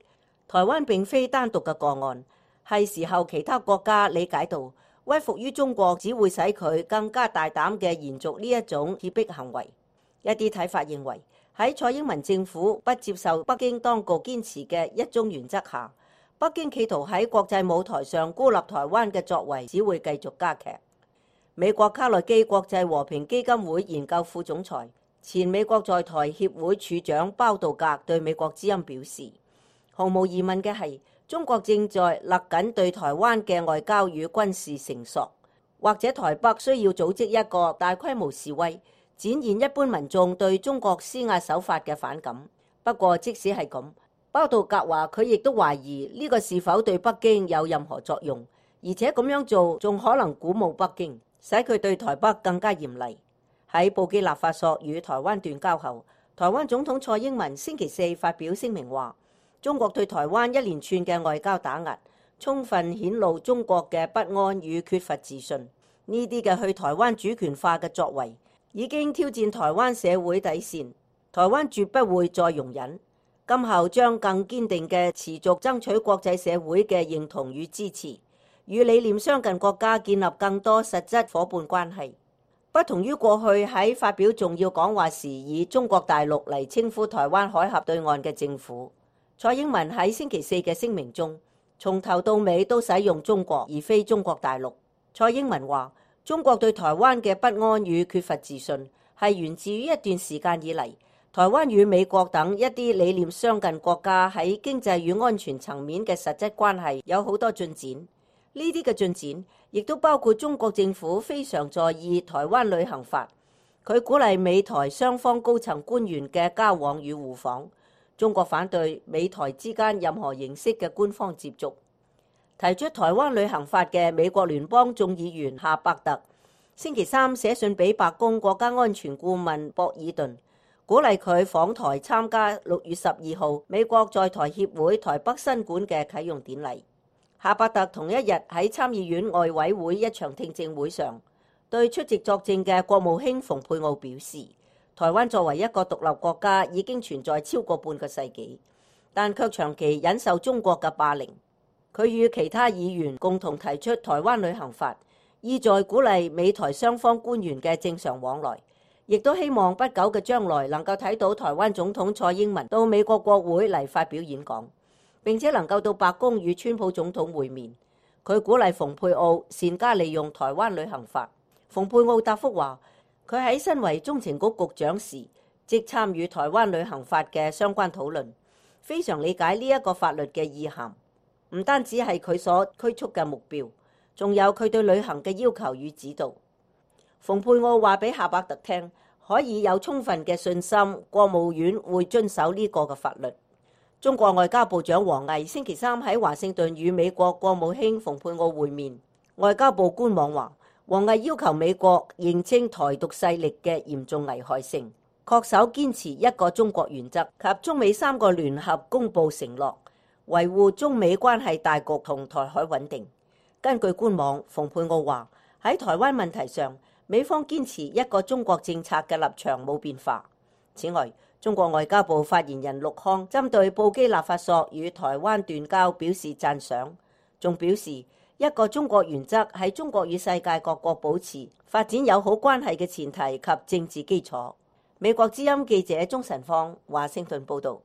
台灣並非單獨嘅個案，係時候其他國家理解到威服於中國只會使佢更加大膽嘅延續呢一種脅迫行為。一啲睇法認為，喺蔡英文政府不接受北京當局堅持嘅一中原則下，北京企圖喺國際舞台上孤立台灣嘅作為只會繼續加劇。美國卡內基國際和平基金會研究副總裁、前美國在台協會處長包道格對美國之音表示，毫無疑問嘅係，中國正在勒緊對台灣嘅外交與軍事繩索，或者台北需要組織一個大規模示威，展現一般民眾對中國施壓手法嘅反感。不過即使係咁，包道格話佢亦都懷疑呢個是否對北京有任何作用，而且咁樣做仲可能鼓舞北京，使佢對台北更加嚴厲。喺布基納法索與台灣斷交後，台灣總統蔡英文星期四發表聲明話，中國對台灣一連串嘅外交打壓，充分顯露中國嘅不安與缺乏自信。呢啲嘅去台灣主權化嘅作為，已經挑戰台灣社會底線，台灣絕不會再容忍，今後將更堅定嘅持續爭取國際社會嘅認同與支持，與理念相近國家建立更多實質夥伴關係。不同於過去喺發表重要講話時以中國大陸嚟稱呼台灣海峽對岸嘅政府，蔡英文喺星期四嘅聲明中，從頭到尾都使用中國而非中國大陸。蔡英文話，中國對台灣嘅不安與缺乏自信係源自於一段時間以嚟，台灣與美國等一啲理念相近國家喺經濟與安全層面嘅實質關係有好多進展。呢啲嘅進展亦都包括中國政府非常在意台灣旅行法，佢鼓勵美台雙方高層官員嘅交往與互訪。中國反對美台之間任何形式嘅官方接觸。提出台灣旅行法嘅美國聯邦眾議員夏伯特星期三寫信俾白宮國家安全顧問博爾頓，鼓勵佢訪台參加六月十二號美國在台協會台北新館嘅啟用典禮。夏伯特同一日喺參議院外委會一場聽證會上，對出席作證嘅國務卿蓬佩奧表示，台灣作為一個獨立國家已經存在超過半個世紀，但卻長期忍受中國嘅霸凌。佢與其他議員共同提出台灣旅行法，意在鼓勵美台雙方官員嘅正常往來，亦都希望不久嘅將來能夠睇到台灣總統蔡英文到美國國會嚟發表演講，並且能夠到白宮與川普總統會面。佢鼓勵蓬佩奧善加利用台灣旅行法。蓬佩奧答覆話，佢喺身為中情局局長時，即參與台灣旅行法嘅相關討論，非常理解呢一個法律嘅意涵，唔單止係佢所拘束嘅目標，仲有佢對旅行嘅要求與指導。蓬佩奧話俾夏伯特聽，可以有充分嘅信心，國務院會遵守呢個嘅法律。中國外交部長王毅星期三喺華盛頓與美國國務卿蓬佩奧會面。外交部官網話，王毅要求美國認清台獨勢力嘅嚴重危害性，恪守堅持一個中國原則及中美三個聯合公佈承諾，維護中美關係大局同台海穩定。根據官網，蓬佩奧話喺台灣問題上，美方堅持一個中國政策嘅立場冇變化。此外，中國外交部發言人陸康針對布基納法索與台灣斷交表示讚賞，仲表示一個中國原則係中國與世界各國保持發展友好關係嘅前提及政治基礎。美國之音記者鍾晨芳華盛頓報導。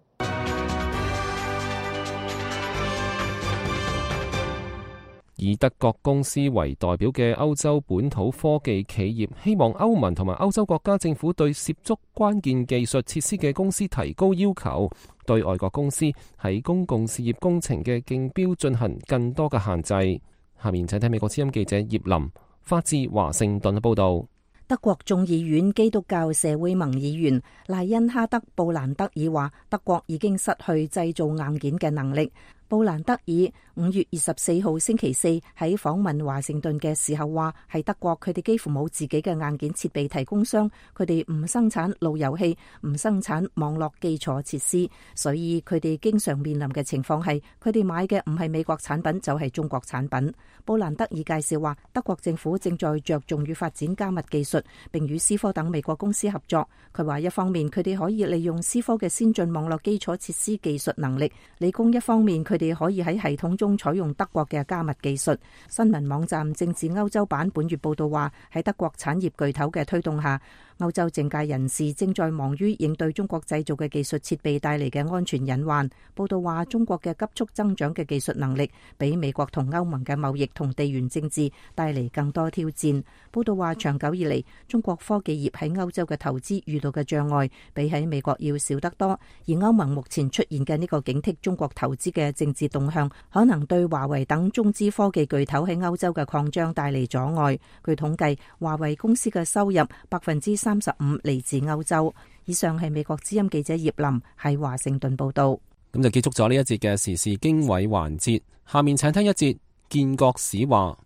以德國公司為代表嘅歐洲本土科技企業希望歐盟同埋歐洲國家政府對涉足關鍵技術設施嘅公司提高要求，對外國公司喺公共事業工程嘅競標進行更多嘅限制。下面請睇美國之音記者葉林發自華盛頓嘅報導。德國眾議院基督教社會盟議員賴恩哈德布蘭德爾話，德國已經失去製造硬件嘅能力。布蘭德爾五月二十四號星期四喺訪問華盛頓嘅時候話，喺德國佢哋幾乎冇自己嘅硬件設備提供商，佢哋唔生產路由器，唔生產網絡基礎設施，所以佢哋經常面臨嘅情況係佢哋買嘅唔係美國產品就係中國產品。布蘭德爾介紹話，德國政府正在着重於發展加密技術，並與思科等美國公司合作。佢話一方面佢哋可以利用思科嘅先進網絡基礎設施技術能力，理工一方面佢哋可以喺系統中採用德國嘅加密技術。新聞網站政治歐洲版本月報道話，喺德國產業巨頭嘅推動下，歐洲政界人士正在忙於應對中國製造嘅技術設備帶嚟嘅安全隱患。報道話，中國嘅急速增長嘅技術能力，比美國同歐盟嘅貿易同地緣政治帶嚟更多挑戰。報道話，長久以嚟，中國科技業喺歐洲嘅投資遇到嘅障礙，比喺美國要少得多。而歐盟目前出現嘅呢個警惕中國投資嘅政治動向，可能對華為等中資科技巨頭喺歐洲嘅擴張帶嚟阻礙。據統計，華為公司嘅收入百分之三十五嚟自歐洲。以上係美國之音記者葉林喺華盛頓報道。咁就結束咗呢一節嘅時事經緯環節，下面請聽一節建國史話。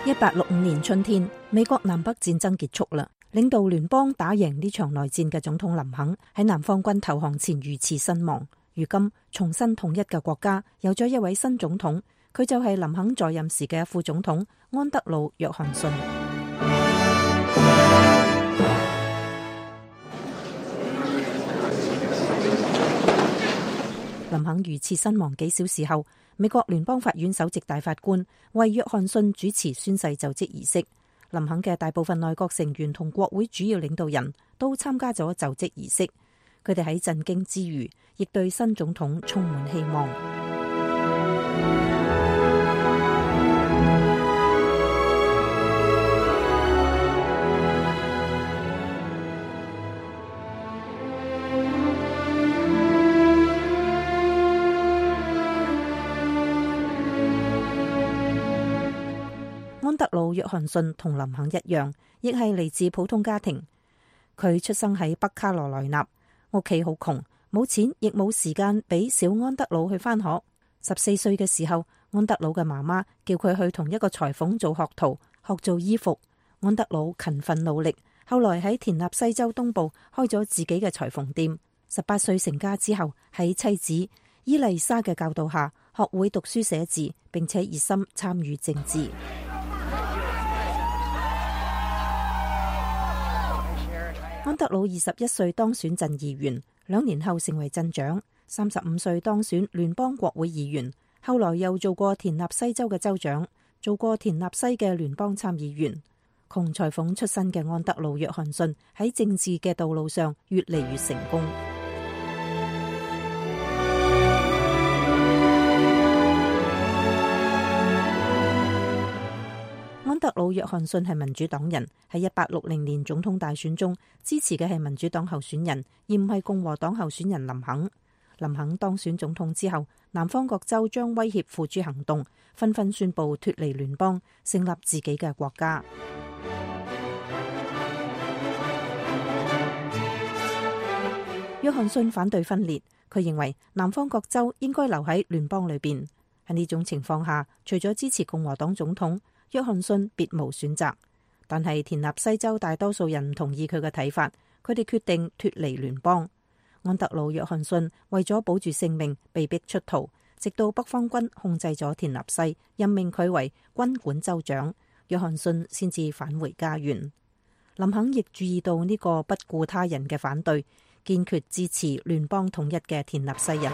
一八六五年春天，美國南北戰爭結束啦。領導聯邦打贏呢場內戰嘅總統林肯喺南方軍投降前遇刺身亡。如今重新統一嘅國家有咗一位新總統，佢就係林肯在任時嘅副總統安德魯·約翰遜。林肯遇刺身亡幾小時後，美國聯邦法院首席大法官為約翰遜主持宣誓就職儀式。林肯嘅大部分內閣成員同國會主要領導人都參加咗就職儀式，佢哋喺震驚之餘，亦對新總統充滿希望。安德魯·約翰遜同林肯一樣，亦係嚟自普通家庭。佢出生喺北卡羅來納，屋企好窮，冇錢亦冇時間俾小安德魯去返學。十四歲嘅時候，安德魯嘅媽媽叫佢去同一個裁縫做學徒，學做衣服。安德魯勤奮努力，後來喺田納西州東部開咗自己嘅裁縫店。十八歲成家之後，喺妻子伊麗莎嘅教導下，學會讀書寫字，並且熱心參與政治。安德魯二十一歲當選鎮議員，兩年後成為鎮長，三十五歲當選聯邦國會議員。後來又做過田納西州嘅州長，做過田納西嘅聯邦參議員。窮裁縫出身嘅安德魯·約翰遜喺政治嘅道路上越嚟越成功。安德魯·約翰遜係民主黨人，喺一八六零年總統大選中支持嘅係民主黨候選人，而唔係共和黨候選人林肯。林肯當選總統之後，南方各州將威脅付諸行動，紛紛宣布脫離聯邦，成立自己嘅國家。約翰遜反對分裂，佢認為南方各州應該留喺聯邦裏邊。喺呢種情況下，除咗支持共和黨總統，約翰遜別無選擇。但係田納西州大多數人唔同意佢嘅睇法，佢哋決定脫離聯邦。安德魯·約翰遜為咗保住性命，被逼出逃，直到北方軍控制咗田納西，任命佢為軍管州長，約翰遜先至返回家園。林肯亦注意到呢個不顧他人嘅反對，堅決支持聯邦統一嘅田納西人。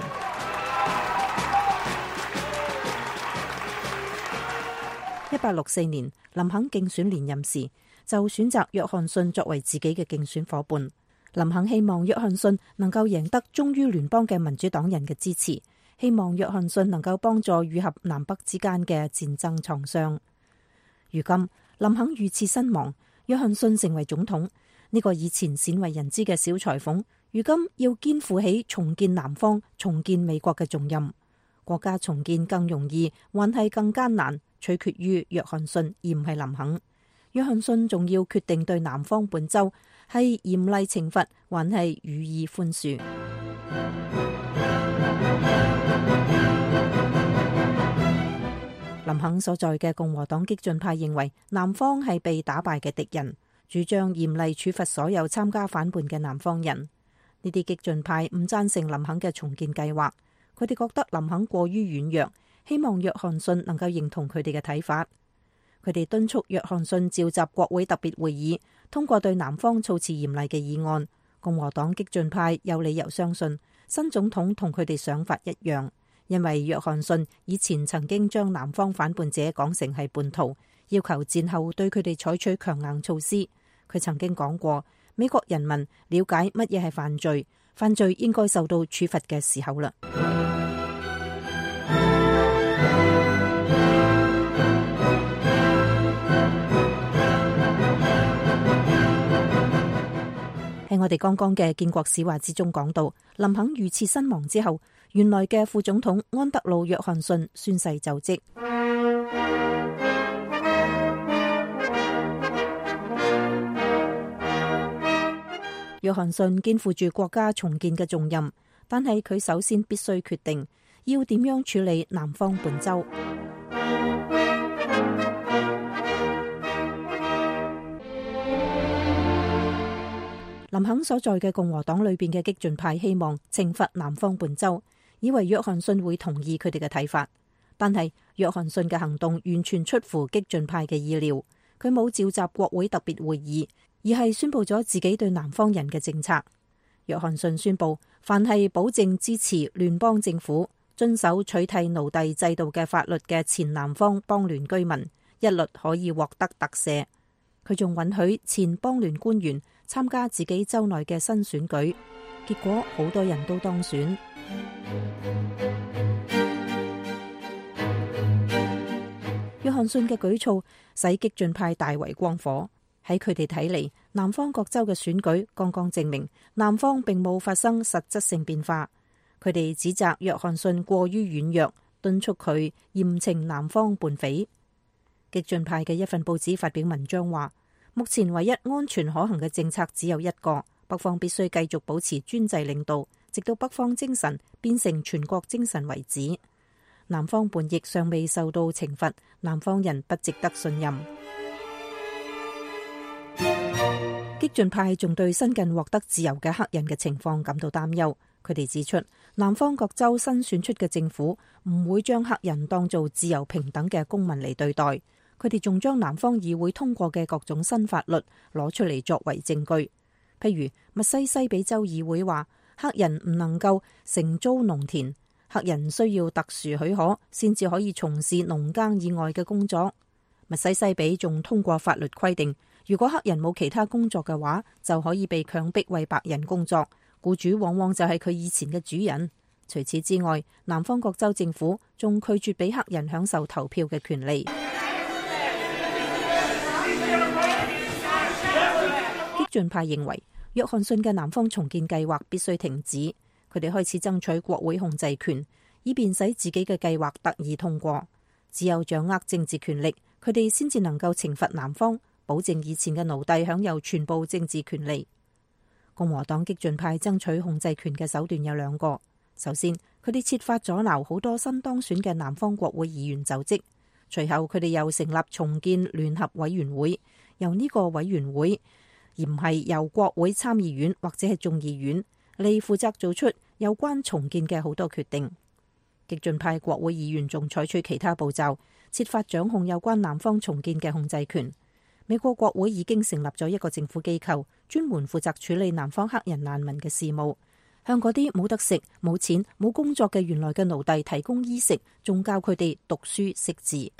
一八六四年，林肯競選連任時，就選擇約翰遜作為自己嘅競選夥伴。林肯希望約翰遜能夠贏得忠於聯邦嘅民主黨人嘅支持，希望約翰遜能夠幫助愈合南北之間嘅戰爭創傷。如今林肯遇刺身亡，約翰遜成為總統。呢個以前鮮為人知嘅小裁縫，如今要肩負起重建南方、重建美國嘅重任。國家重建更容易，還係更艱難，取決於約翰遜而唔係林肯。約翰遜仲要決定對南方本州係嚴厲懲罰，還係予以寬恕。林肯所在嘅共和黨激進派認為南方係被打敗嘅敵人，主張嚴厲處罰所有參加反叛嘅南方人。呢啲激進派唔贊成林肯嘅重建計劃，佢哋覺得林肯過於軟弱，希望約翰遜能夠認同佢哋嘅睇法。佢哋敦促約翰遜召集國會特別會議，通過對南方措辭嚴厲嘅議案。共和黨激進派有理由相信新總統同佢哋想法一樣，因為約翰遜以前曾經將南方反叛者講成係叛徒，要求戰後對佢哋採取強硬措施。佢曾經講過，美國人民了解乜嘢係犯罪，犯罪應該受到處罰嘅時候啦。喺我哋剛剛嘅建國史話之中講到，林肯遇刺身亡之後，原來嘅副總統安德魯·約翰遜宣誓就職。約翰遜肩負住國家重建嘅重任，但係佢首先必須決定要點樣處理南方本州。林肯所在嘅共和黨裏邊嘅激進派希望懲罰南方本州，以為約翰遜會同意佢哋嘅睇法。但係約翰遜嘅行動完全出乎激進派嘅意料，佢冇召集國會特別會議，而係宣布咗自己對南方人嘅政策。約翰遜宣布，凡係保證支持聯邦政府、遵守取締奴隸制度嘅法律嘅前南方邦聯居民，一律可以獲得特赦。佢仲允許前邦聯官員參加自己州內嘅新選舉，結果好多人都當選。約翰遜嘅舉措使激進派大為光火。喺佢哋睇嚟，南方各州嘅選舉剛剛證明南方並冇發生實質性變化。佢哋指責約翰遜過於軟弱，敦促佢嚴懲南方叛匪。激進派嘅一份報紙發表文章話，目前唯一安全可行嘅政策只有一個，北方必須繼續保持專制領導，直到北方精神變成全國精神為止。南方叛逆尚未受到懲罰，南方人不值得信任。激進派仲對新近獲得自由嘅黑人嘅情況感到擔憂。佢哋指出，南方各州新選出嘅政府唔會將黑人當做自由平等嘅公民嚟對待。佢哋仲將南方議會通過嘅各種新法律攞出嚟作為證據。譬如密西西比州議會話，黑人唔能夠承租農田，黑人需要特殊許可先至可以從事農耕以外嘅工作。密西西比仲通過法律規定，如果黑人冇其他工作嘅話，就可以被強迫為白人工作，僱主往往就係佢以前嘅主人。除此之外，南方各州政府仲拒絕俾黑人享受投票嘅權利。激進派認為約翰遜嘅南方重建計劃必須停止，佢哋開始爭取國會控制權，以便使自己嘅計劃得以通過。只有掌握政治權力，佢哋先至能夠懲罰南方，保證以前嘅奴隸享有全部政治權利。共和黨激進派爭取控制權嘅手段有兩個。首先，佢哋設法阻撓好多新當選嘅南方國會議員就職。隨後，佢哋又成立重建聯合委員會，由呢個委員會，而唔係由國會參議院或者係眾議院嚟負責做出有關重建嘅好多決定。激進派國會議員仲採取其他步驟，設法掌控有關南方重建嘅控制權。美國國會已經成立咗一個政府機構，專門負責處理南方黑人難民嘅事務，向嗰啲冇得食、冇錢、冇工作嘅原來嘅奴隸提供衣食，仲教佢哋讀書識字。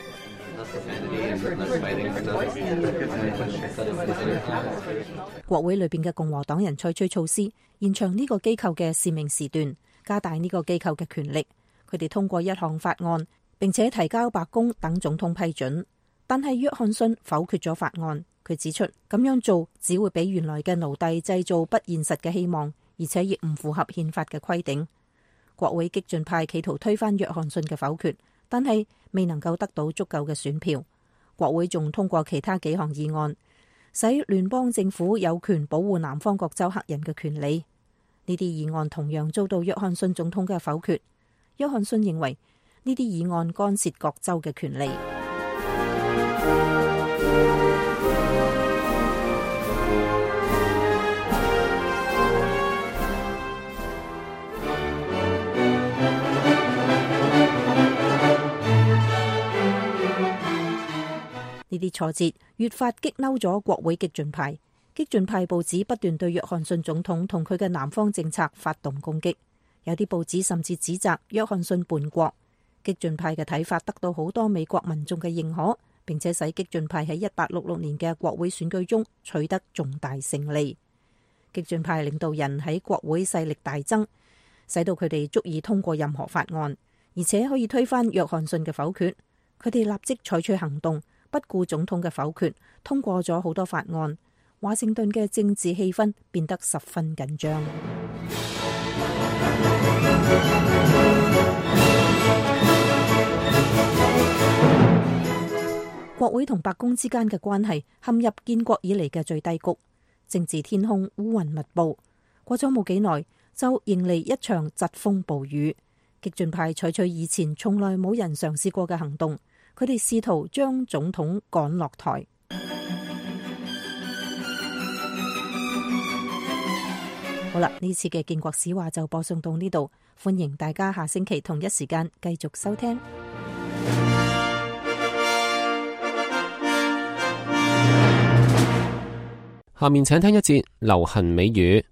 國會裏邊嘅共和黨人採取措施，延長呢個機構嘅使命時段，加大呢個機構嘅權力。佢哋通過一項法案，並且提交白宮等總統批准。但係約翰遜否決咗法案。佢指出咁樣做只會俾原來嘅奴隸製造不現實嘅希望，而且亦唔符合憲法嘅規定。國會激進派企圖推翻約翰遜嘅否決，但係未能夠得到足夠嘅選票。國會仲通過其他幾項議案，使聯邦政府有權保護南方各州黑人嘅權利。呢啲議案同樣遭到約翰遜總統嘅否決。約翰遜認為呢啲議案干涉各州嘅權利。呢啲挫折越發激嬲咗國會激進派，激進派報紙不斷對約翰遜總統同佢嘅南方政策發動攻擊，有啲報紙甚至指責約翰遜叛國。激進派嘅睇法得到好多美國民眾嘅認可，並且使激進派喺一八六六年嘅國會選舉中取得重大勝利。激進派領導人喺國會勢力大增，使到佢哋足以通過任何法案，而且可以推翻約翰遜嘅否決。佢哋立即採取行動，不顧總統嘅否決，通過咗好多法案。華盛頓嘅政治氣氛變得十分緊張。國會同白宮之間嘅關係陷入建國以嚟嘅最低谷，政治天空烏雲密布。過咗冇幾耐，就迎嚟一場疾風暴雨。激進派採取以前從來冇人嘗試過嘅行動，佢哋試圖將總統趕落台。好啦，呢次嘅建國史話就播送到呢度，歡迎大家下星期同一時間繼續收聽。下面請聽一節流行美語。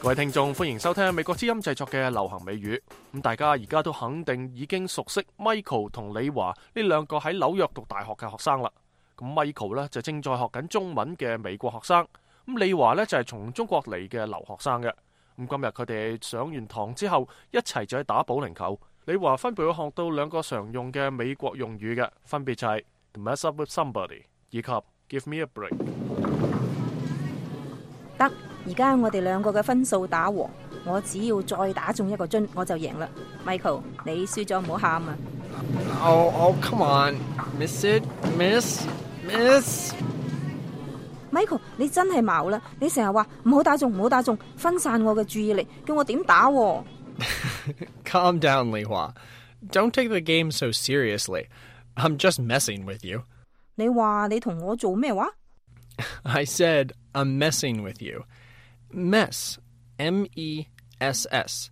各位聽眾，歡迎收聽美國之音製作嘅流行美語。咁大家而家都肯定已經熟悉 Michael 同李華呢兩個喺紐約讀大學嘅學生啦。咁 Michael 呢就正在學緊中文嘅美國學生，咁李華呢就係從中國嚟嘅留學生嘅。咁今日佢哋上完堂之後，一齊就去打保齡球。李華分別會學到兩個常用嘅美國用語嘅，分別就係 to mess up with somebody 以及 give me a break。得，而家我哋兩個嘅分數打和，我只要再打中一個樽，我就贏啦。Michael，你輸咗唔好喊啊！ Oh, oh, come on. Miss it, miss, miss. Michael， 你真係矛啦！你成日話唔好打中，唔好打中，分散我嘅注意力，叫我點打喎Calm down, Li Hua. Don't take the game so seriously. I'm just messing with you. 你話你同我做咩話？ I said I'm messing with you. Mess, M E S S.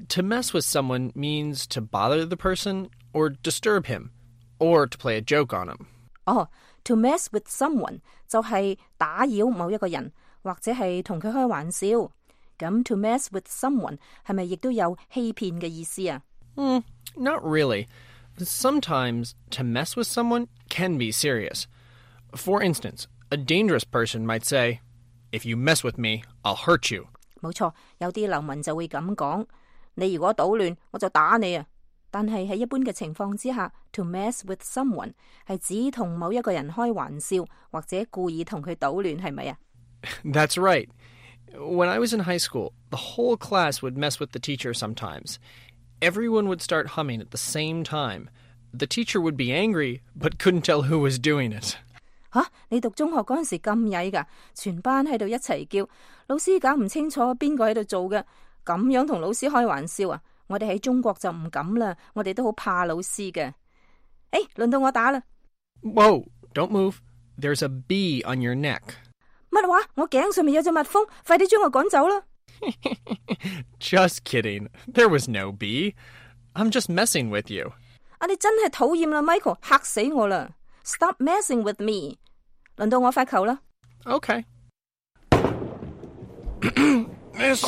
To mess with someone means to bother the person or disturb him, or to play a joke on him. 哦、oh, to mess with someone 就係打擾某一個人，或者係同佢開玩笑。咁 to mess with someone 係咪亦都有欺騙嘅意思啊？ Mm, not really. Sometimes to mess with someone can be serious. For instance, a dangerous person might say, "If you mess with me, I'll hurt you." 冇錯，有啲流民就會咁講，你如果搗亂，我就打你啊！但係喺一般嘅情況之下 to mess with someone 係指同某一個人開玩笑，或者故意同佢搗亂，係咪啊？ That's right. When I was in high school, the whole class would mess with the teacher sometimes. Everyone would start humming at the same time. The teacher would be angry, but couldn't tell who was doing it. 吓，你讀中學嗰陣時咁曳㗎，全班喺度一齊叫，老師搞唔清楚邊個喺度做嘅，咁樣同老師開玩笑啊！我哋喺中國就唔敢啦，我哋都好怕老師嘅。誒，輪到我打啦！ Whoa, don't move. There's a bee on your neck. 乜話？我頸上面有隻蜜蜂，快啲將我趕走啦！ Just kidding. There was no bee. I'm just messing with you. 啊，你真係討厭啦 ，Michael， 嚇死我啦 ！Stop messing with me。輪到我發球啦。Okay. Miss,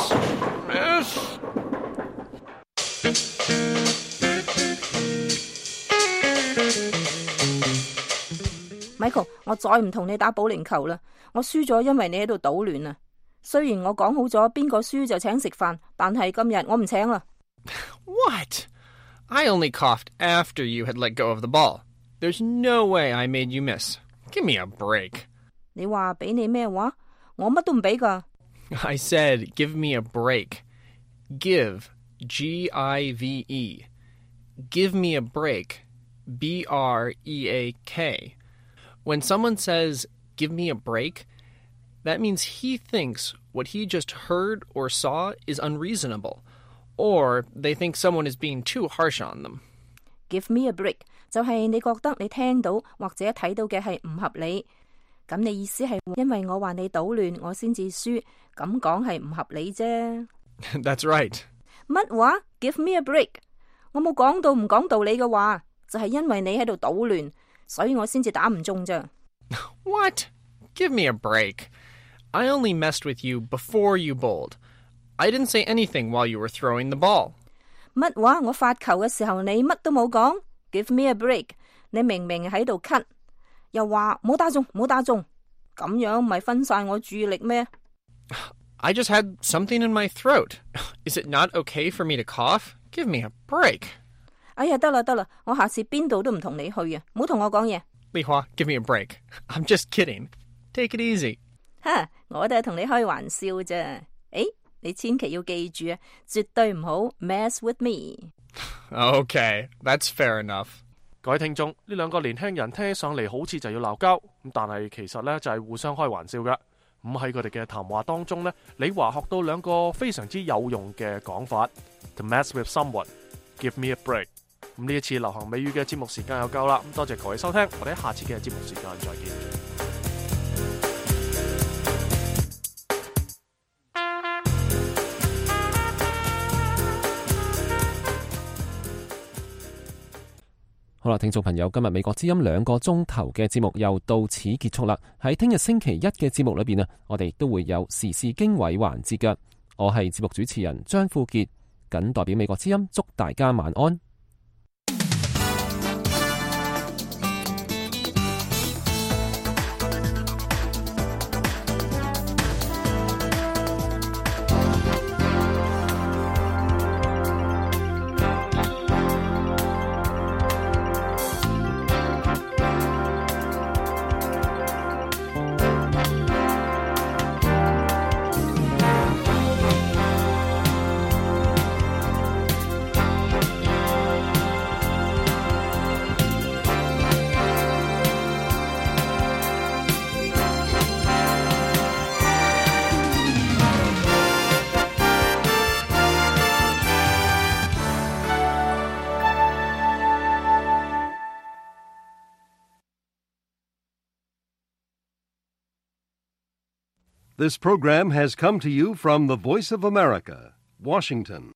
miss. Michael， 我再唔同你打保齡球啦，我輸咗，因為你喺度搗亂啊。雖然我講好咗邊個輸就請食飯，但係今日我唔請啦。What? I only coughed after you had let go of the ball. There's no way I made you miss. Give me a break. 你話俾你咩話？我乜都唔俾噶。I said, give me a break. Give, G I V E. Give me a break, B R E A K. When someone says, give me a break, that means he thinks what he just heard or saw is unreasonable, or they think someone is being too harsh on them. Give me a break 就係你覺得你聽到或者睇到嘅係唔合理，咁你意思係因為我話你搗亂，我先至輸，咁講係唔合理啫。That's right. 乜話 ？Give me a break？ 我冇講到唔講道理嘅話，就係因為你喺度搗亂，所以我先至打唔中啫。What? Give me a break. I only messed with you before you bowled. I didn't say anything while you were throwing the ball. 乜話？我發球嘅時候你乜都冇講 ，Give me a break。你明明喺度咳，又話冇打中，冇打中，咁樣咪分散我注意力咩？ I just had something in my throat. Is it not okay for me to cough? Give me a break. 哎呀，得啦得啦，我下次邊度都唔同你去啊！唔好同我講嘢。Li Hua, give me a break. I'm just kidding. Take it easy. 哈，我都係同你開玩笑啫。誒，你千祈要記住啊，絕對唔好 mess with me。 Okay, that's fair enough. 各位聽眾，呢兩個年輕人聽起上嚟好似就要鬧交，咁但係其實呢就係互相開玩笑㗎。咁喺佢哋嘅談話當中呢，李華學到兩個非常之有用嘅講法 ：to mess with someone, give me a break。咁呢一次流行美語嘅節目時間又夠啦，咁多謝各位收聽，我哋喺下次嘅節目時間再見。好啦，聽眾朋友，今日美國之音兩個鐘頭嘅節目又到此結束啦。喺聽日星期一嘅節目裏邊啊，我哋都會有時事經緯環節嘅。我係節目主持人張富傑，謹代表美國之音祝大家晚安。This program has come to you from the Voice of America, Washington.